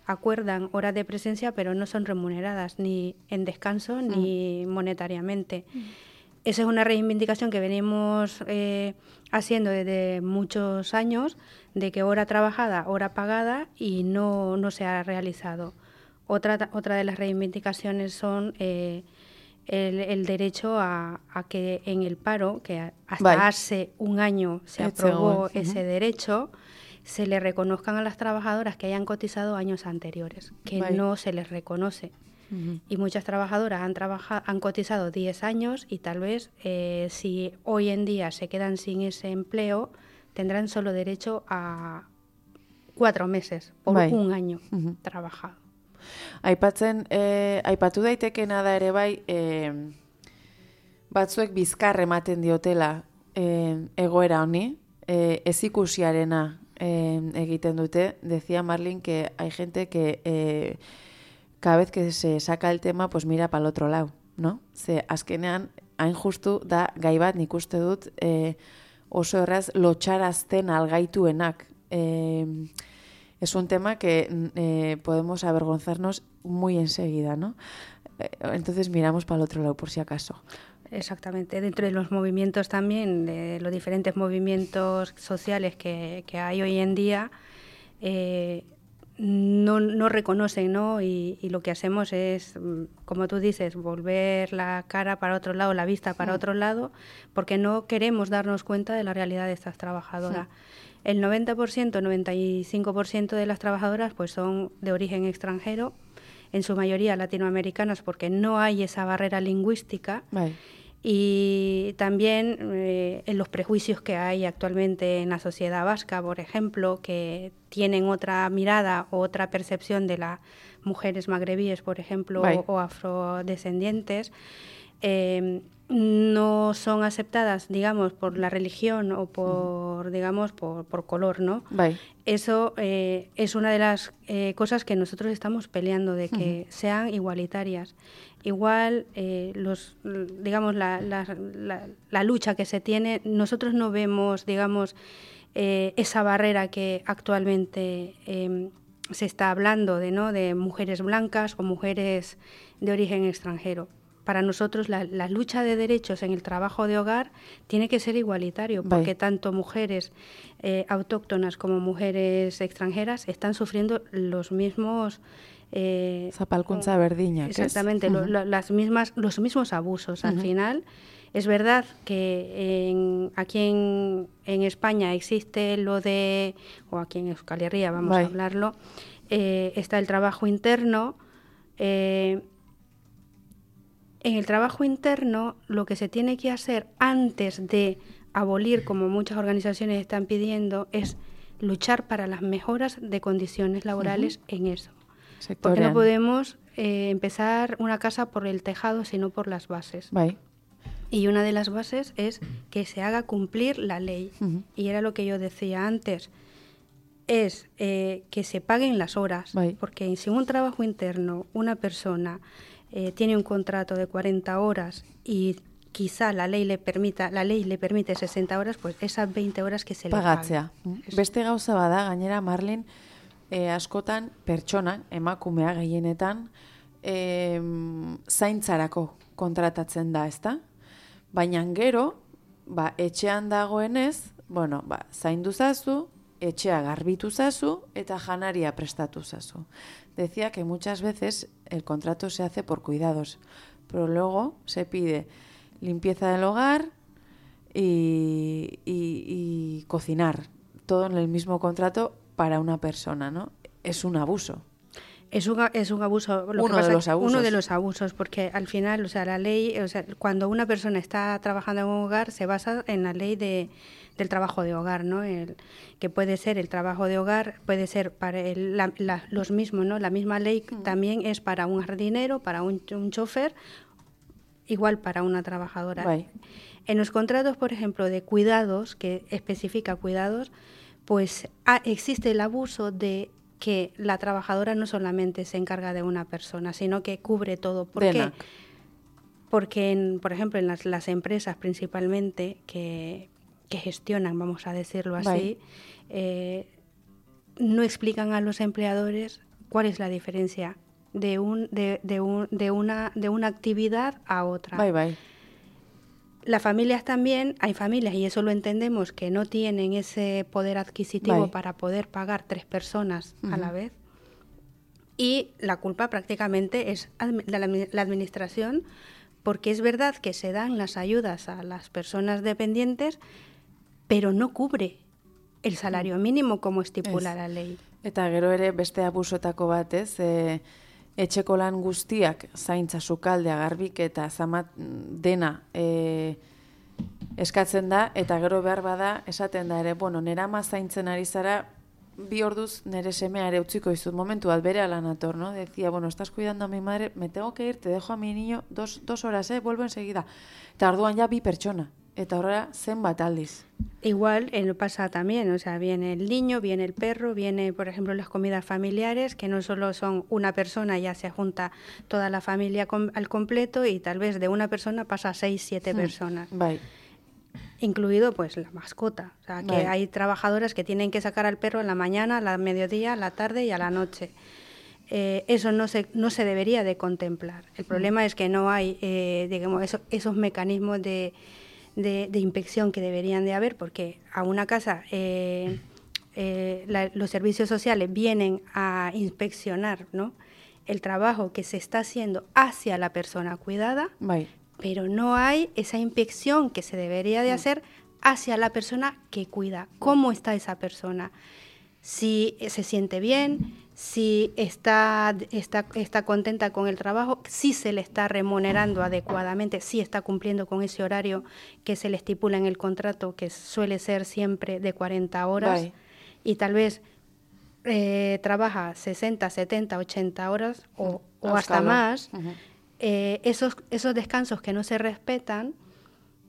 acuerdan horas de presencia, pero no son remuneradas ni en descanso ni monetariamente. Esa es una reivindicación que venimos haciendo desde muchos años, de que hora trabajada, hora pagada, y no se ha realizado. Otra de las reivindicaciones son el derecho a que en el paro, que hasta hace un año se aprobó ese derecho, se le reconozcan a las trabajadoras que hayan cotizado años anteriores, que no se les reconoce. Y muchas trabajadoras han cotizado 10 años y tal vez si hoy en día se quedan sin ese empleo, tendrán solo derecho a 4 meses por un año trabajado. Aipatu daitekena da ere bai, batzuek bizkar ematen diotela egoera honi, ezikusiarena egiten dute. Decía Marlin que hay gente que cada vez que se saca el tema, pues mira para el otro lado, ¿no? Ze azkenean, hain justu da gai bat nik uste dut oso erraz lotxarazten algaituenak. Es un tema que podemos avergonzarnos muy enseguida, ¿no? Entonces miramos para el otro lado, por si acaso. Exactamente. Dentro de los movimientos también, de los diferentes movimientos sociales que hay hoy en día, no reconocen, ¿no? Y lo que hacemos es, como tú dices, volver la cara para otro lado, la vista para otro lado, porque no queremos darnos cuenta de la realidad de estas trabajadoras. El 90%, 95% de las trabajadoras pues son de origen extranjero, en su mayoría latinoamericanas, porque no hay esa barrera lingüística. Y también en los prejuicios que hay actualmente en la sociedad vasca, por ejemplo, que tienen otra mirada o otra percepción de las mujeres magrebíes, por ejemplo, o afrodescendientes, no son aceptadas, digamos, por la religión o por, digamos, por color, ¿no? Eso es una de las cosas que nosotros estamos peleando, de que sean igualitarias. Igual, digamos, la lucha que se tiene, nosotros no vemos, digamos, esa barrera que actualmente se está hablando de, ¿no?, de mujeres blancas o mujeres de origen extranjero. Para nosotros la lucha de derechos en el trabajo de hogar tiene que ser igualitario, porque tanto mujeres autóctonas como mujeres extranjeras están sufriendo los mismos... Zapalkuntza berdina. Exactamente, los mismos abusos. Al final, es verdad que aquí en España existe lo de, o aquí en Euskal Herria, vamos a hablarlo, está el trabajo interno. En el trabajo interno, lo que se tiene que hacer antes de abolir, como muchas organizaciones están pidiendo, es luchar para las mejoras de condiciones laborales en eso. Porque no podemos empezar una casa por el tejado, sino por las bases. Y una de las bases es que se haga cumplir la ley. Y era lo que yo decía antes, es que se paguen las horas. Porque si en un trabajo interno una persona tiene un contrato de 40 horas y quizá la ley le permite 60 horas, pues esas 20 horas que se le paguen. Beste gauza bada, gainera, Marlen, askotan pertsona, emakumea gehienetan, zaintzarako kontratatzen da, ezta? Baina gero, etxean dagoenez, zaindu zazu, etxea garbitu zazu eta janaria prestatu zazu. Decía que muchas veces el contrato se hace por cuidados, pero luego se pide limpieza del hogar y cocinar, todo en el mismo contrato para una persona, ¿no? Es un abuso. Es un abuso. Uno de los abusos, porque al final, la ley, cuando una persona está trabajando en un hogar, se basa en la ley del trabajo de hogar, ¿no? Que puede ser el trabajo de hogar, puede ser para los mismos, ¿no? La misma ley también es para un jardinero, para un chofer, igual para una trabajadora. En los contratos, por ejemplo, de cuidados, que especifica cuidados, pues existe el abuso de que la trabajadora no solamente se encarga de una persona, sino que cubre todo. ¿Por qué? Porque, por ejemplo, en las empresas principalmente que gestionan, vamos a decirlo así, no explican a los empleadores cuál es la diferencia de una actividad a otra. Las familias también, hay familias, y eso lo entendemos, que no tienen ese poder adquisitivo para poder pagar 3 personas a la vez. Y la culpa prácticamente es la administración, porque es verdad que se dan las ayudas a las personas dependientes, pero no cubre el salario mínimo como estipula la ley. Eta gero ere beste abusoetako bat, etxeko lan guztiak, zaintza, sukaldea, garbiketa, zamat dena eskatzen da, eta gero behar bada esaten da ere, nera ama zaintzen ari zara, 2 orduz nere semea ere utziko izut momentu bat bere ala nator, ¿no? Decía, estás cuidando a mi madre, me tengo que ir, te dejo a mi niño 2 horas, vuelvo enseguida. Eta orduan ja 2 pertsona, eta horrela zenbat aldiz. Igual pasa también, viene el niño, viene el perro, viene, por ejemplo, las comidas familiares, que no solo son una persona, ya se junta toda la familia al completo y tal vez de una persona pasa a 6, 7 personas. Incluido, pues, la mascota. Que hay trabajadoras que tienen que sacar al perro en la mañana, a mediodía, a la tarde y a la noche. Eso no se debería de contemplar. El problema es que no hay, esos mecanismos de inspección que deberían de haber, porque a una casa los servicios sociales vienen a inspeccionar, ¿no?, el trabajo que se está haciendo hacia la persona cuidada, pero no hay esa inspección que se debería de hacer hacia la persona que cuida. ¿Cómo está esa persona? Si se siente bien, si está contenta con el trabajo, si se le está remunerando adecuadamente, si está cumpliendo con ese horario que se le estipula en el contrato, que suele ser siempre de 40 horas, y tal vez trabaja 60, 70, 80 horas o hasta más, esos descansos que no se respetan,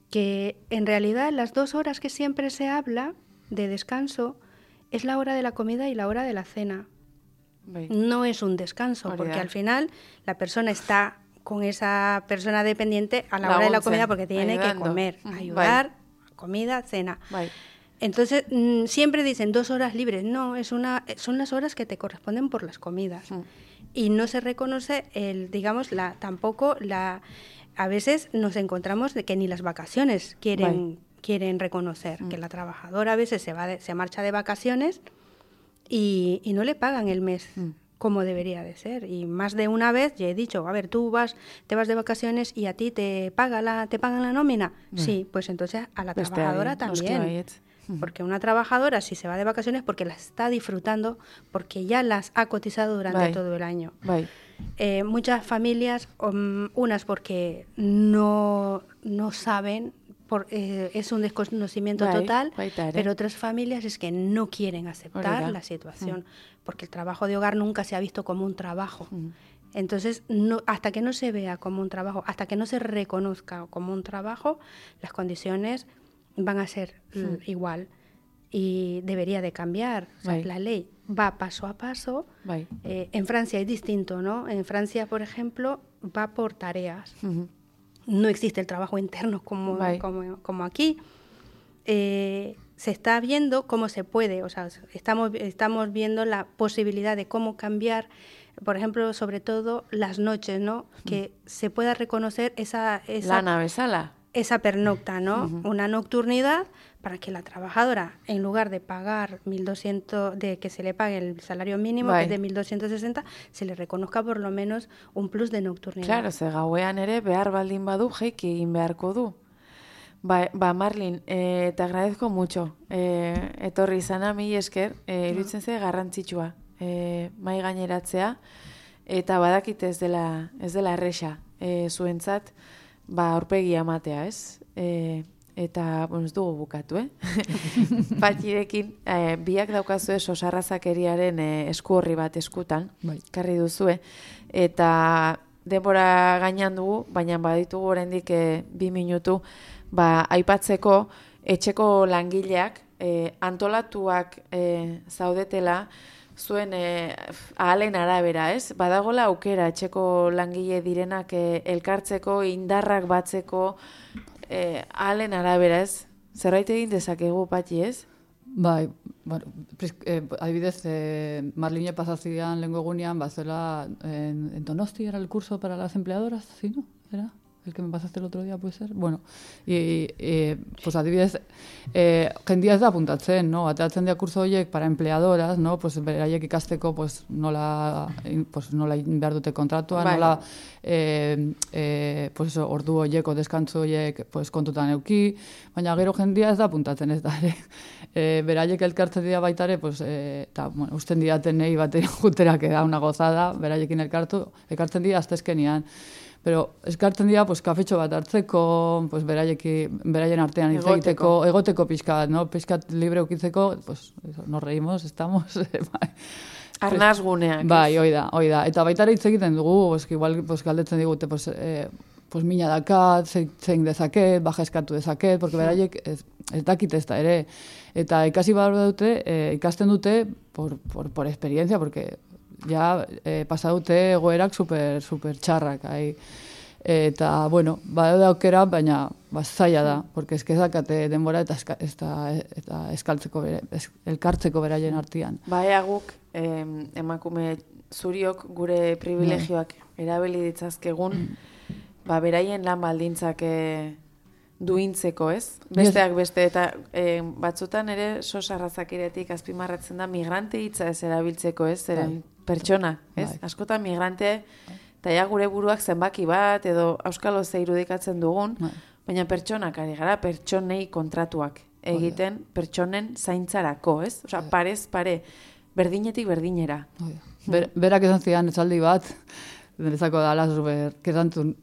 que en realidad las 2 horas que siempre se habla de descanso es la hora de la comida y la hora de la cena. No es un descanso, porque al final la persona está con esa persona dependiente a la hora de la comida porque tiene que comer, ayudar, comida, cena. Entonces, siempre dicen 2 horas libres. No, son las horas que te corresponden por las comidas. Y no se reconoce, a veces nos encontramos de que ni las vacaciones quieren reconocer, que la trabajadora a veces se marcha de vacaciones y no le pagan el mes como debería de ser. Y más de una vez ya he dicho, a ver, te vas de vacaciones y a ti te pagan la nómina. Sí, pues entonces a la trabajadora también. Porque una trabajadora, si se va de vacaciones, porque las está disfrutando, porque ya las ha cotizado durante todo el año. Muchas familias, unas porque no saben es un desconocimiento total, pero otras familias es que no quieren aceptar la situación, porque el trabajo de hogar nunca se ha visto como un trabajo. Entonces, hasta que no se vea como un trabajo, hasta que no se reconozca como un trabajo, las condiciones van a ser igual y debería de cambiar. O sea, la ley va paso a paso. En Francia es distinto, ¿no? En Francia, por ejemplo, va por tareas. No existe el trabajo interno como aquí. Se está viendo cómo se puede, o sea, estamos viendo la posibilidad de cómo cambiar, por ejemplo, sobre todo las noches, ¿no? Que se pueda reconocer esa pernocta, ¿no? Una nocturnidad para que la trabajadora, en lugar de pagar 1.200, de que se le pague el salario mínimo, que es de 1.260, se le reconozca por lo menos un plus de nocturnidad. Claro, ze gauean ere behar baldin badu jeiki egin beharko du. Marlin, te agradezco mucho. Etorri izana, mila esker, iruditzen ze garrantzitsua mai gaineratzea, eta badakit ez dela erresa zuentzat, aurpegia ematea, ez? Eta, ez dugu bukatu, Patxirekin, biak daukazue sosarrazakeriaren esku horri bat eskutan, karri duzue, eta denbora gainan dugu, baina baditugu oraindik 2 minutu, aipatzeko etxeko langileak antolatuak zaudetela zuen ahalen arabera, ez? Badagola aukera etxeko langile direnak elkartzeko, indarrak batzeko ahalen arabera, ez? Zerbait egin dezakegu, Patxi, ez? Bai, bueno, adibidez, Marline pasazian lehengo egunean, zela en Donosti era el curso para las empleadoras, ¿sí, no? ¿Era? El que me pasaste el otro día, puede ser? Bueno, pues adibidez, jendia ez da apuntatzen, no? Ateratzen dira kurso horiek para empleadoras, no? Pues beraiek ikasteko, pues nola behar dute kontratua, nola pues ordu horieko, deskantzu horiek pues kontutan euki, baina gero jendia ez da apuntatzen, ez da, beraiek elkartzen dira baitare, pues, eta, bueno, usten diatenei bateri juterak da una gozada, beraiekin elkartzen dira aztezkenian. Pero eskartzen dira, pues, kafetxo bat hartzeko, pues, beraien artean hitz egoteko pixkat, no? Pixkat libre ukitzeko, pues, nos reímos, estamos... Arnazguneak. Bai, hoi da. Eta baitara hitz egiten dugu, pues, igual, pues, galdetzen digute, pues, mina dakat, zein dezaket, baja eskatu dezaket, porque beraiek ez dakit ez da ere. Eta ikasi behar dute, ikasten dute por experiencia, porque... ja pasa dute egoerak super txarrak. Eta, bueno, badaude aukera, baina zaila da, porque eskezakate denbora eta elkartzeko beraien artean. Guk, emakume zuriok gure privilegioak erabili ditzazkegun, beraien lan baldintzak duintzeko, ez? Besteak beste, eta batzutan ere sosarrazakiretik azpimarratzen da migrante hitza ez erabiltzeko, ez? Zeren pertsona, ez? Askotan migrante, eta ja gure buruak zenbaki bat, edo auskalo ze irudikatzen dugun, baina pertsonak ari gara, pertsonei kontratuak egiten, pertsonen zaintzarako, ez? Osa, parez pare, berdinetik berdinera. Berak esan zidan esaldi bat, derezako dala, que esan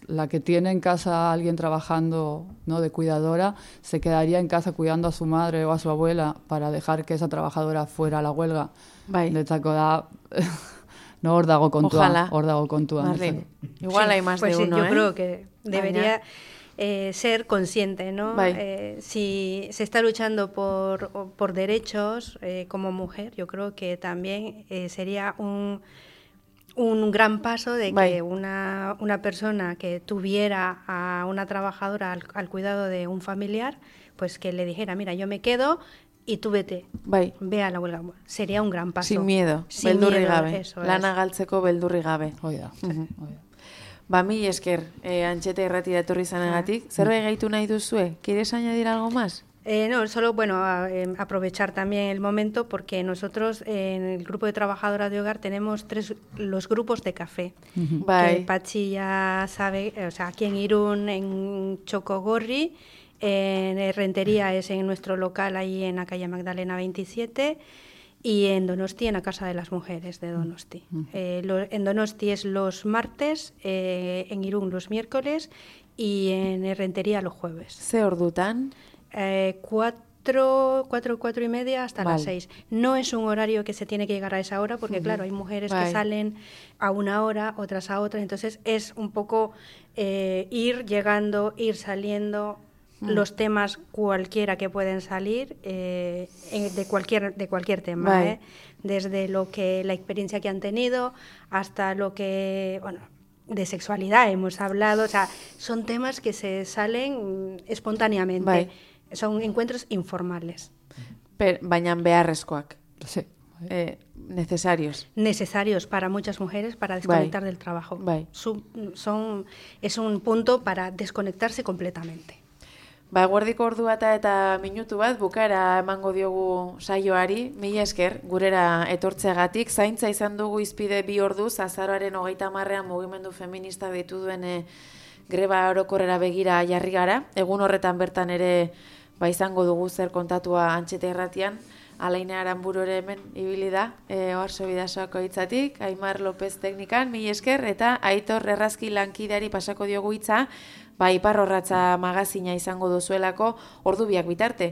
la que tiene en casa a alguien trabajando, ¿no?, de cuidadora, se quedaría en casa cuidando a su madre o a su abuela para dejar que esa trabajadora fuera a la huelga. Detzako da, no, hor dago kontua. Marlene, igual hay más de uno, Yo creo que debería ser consciente, ¿no? Si se está luchando por derechos como mujer, yo creo que también sería un gran paso de que una persona que tuviera a una trabajadora al cuidado de un familiar, pues que le dijera, mira, yo me quedo y tú vete, ve a la huelga. Sería un gran paso. Sin miedo, beldurri gabe. Lana galtzeko beldurri gabe. Mila esker, Antxeta Irratira etorri izanagatik. Zerbait gehitu nahi duzue? ¿Quieres añadir algo más? No, solo, aprovechar también el momento, porque nosotros en el grupo de trabajadoras de hogar tenemos los grupos de café. Que Patxi ya sabe, o sea, aquí en Irún, en Chocogorri, en Rentería es en nuestro local ahí en la calle Magdalena 27, y en Donosti, en la Casa de las Mujeres de Donosti. En Donosti es los martes, en Irún los miércoles y en Errentería los jueves. Ze ordutan? 4 y media hasta las Vale. 6. No es un horario que se tiene que llegar a esa hora porque, claro, hay mujeres que Vale. salen a una hora, otras a otra, entonces es un poco ir llegando, ir saliendo, los temas cualquiera que pueden salir de cualquier tema, Vale. desde lo que la experiencia que han tenido hasta lo que, bueno, de sexualidad hemos hablado, o sea, son temas que se salen espontáneamente. Bai. Son encuentros informales. Baina beharrezkoak. Sí. Necesarios. Necesarios para muchas mujeres para desconectar del trabajo. Es un punto para desconectarse completamente. Eguerdiko ordu bata eta minutu bat bukaera emango diogu saioari, mila esker, gurera etortzeagatik, zaintza izan dugu izpide 2 orduz, azaroaren 30ean mugimendu feminista ditu duen greba orokorrera begira jarri gara, egun horretan bertan ere izango dugu zer kontatua Antxeta Irratian, Alaine Aranburu ere hemen ibili da, Oarso Bidasoako hitzatik, Aimar López teknikan, mila esker, eta Aitor Errazki lankideari pasako diogu hitza, Ipar Orratza magazina izango duzuelako ordu biak bitarte.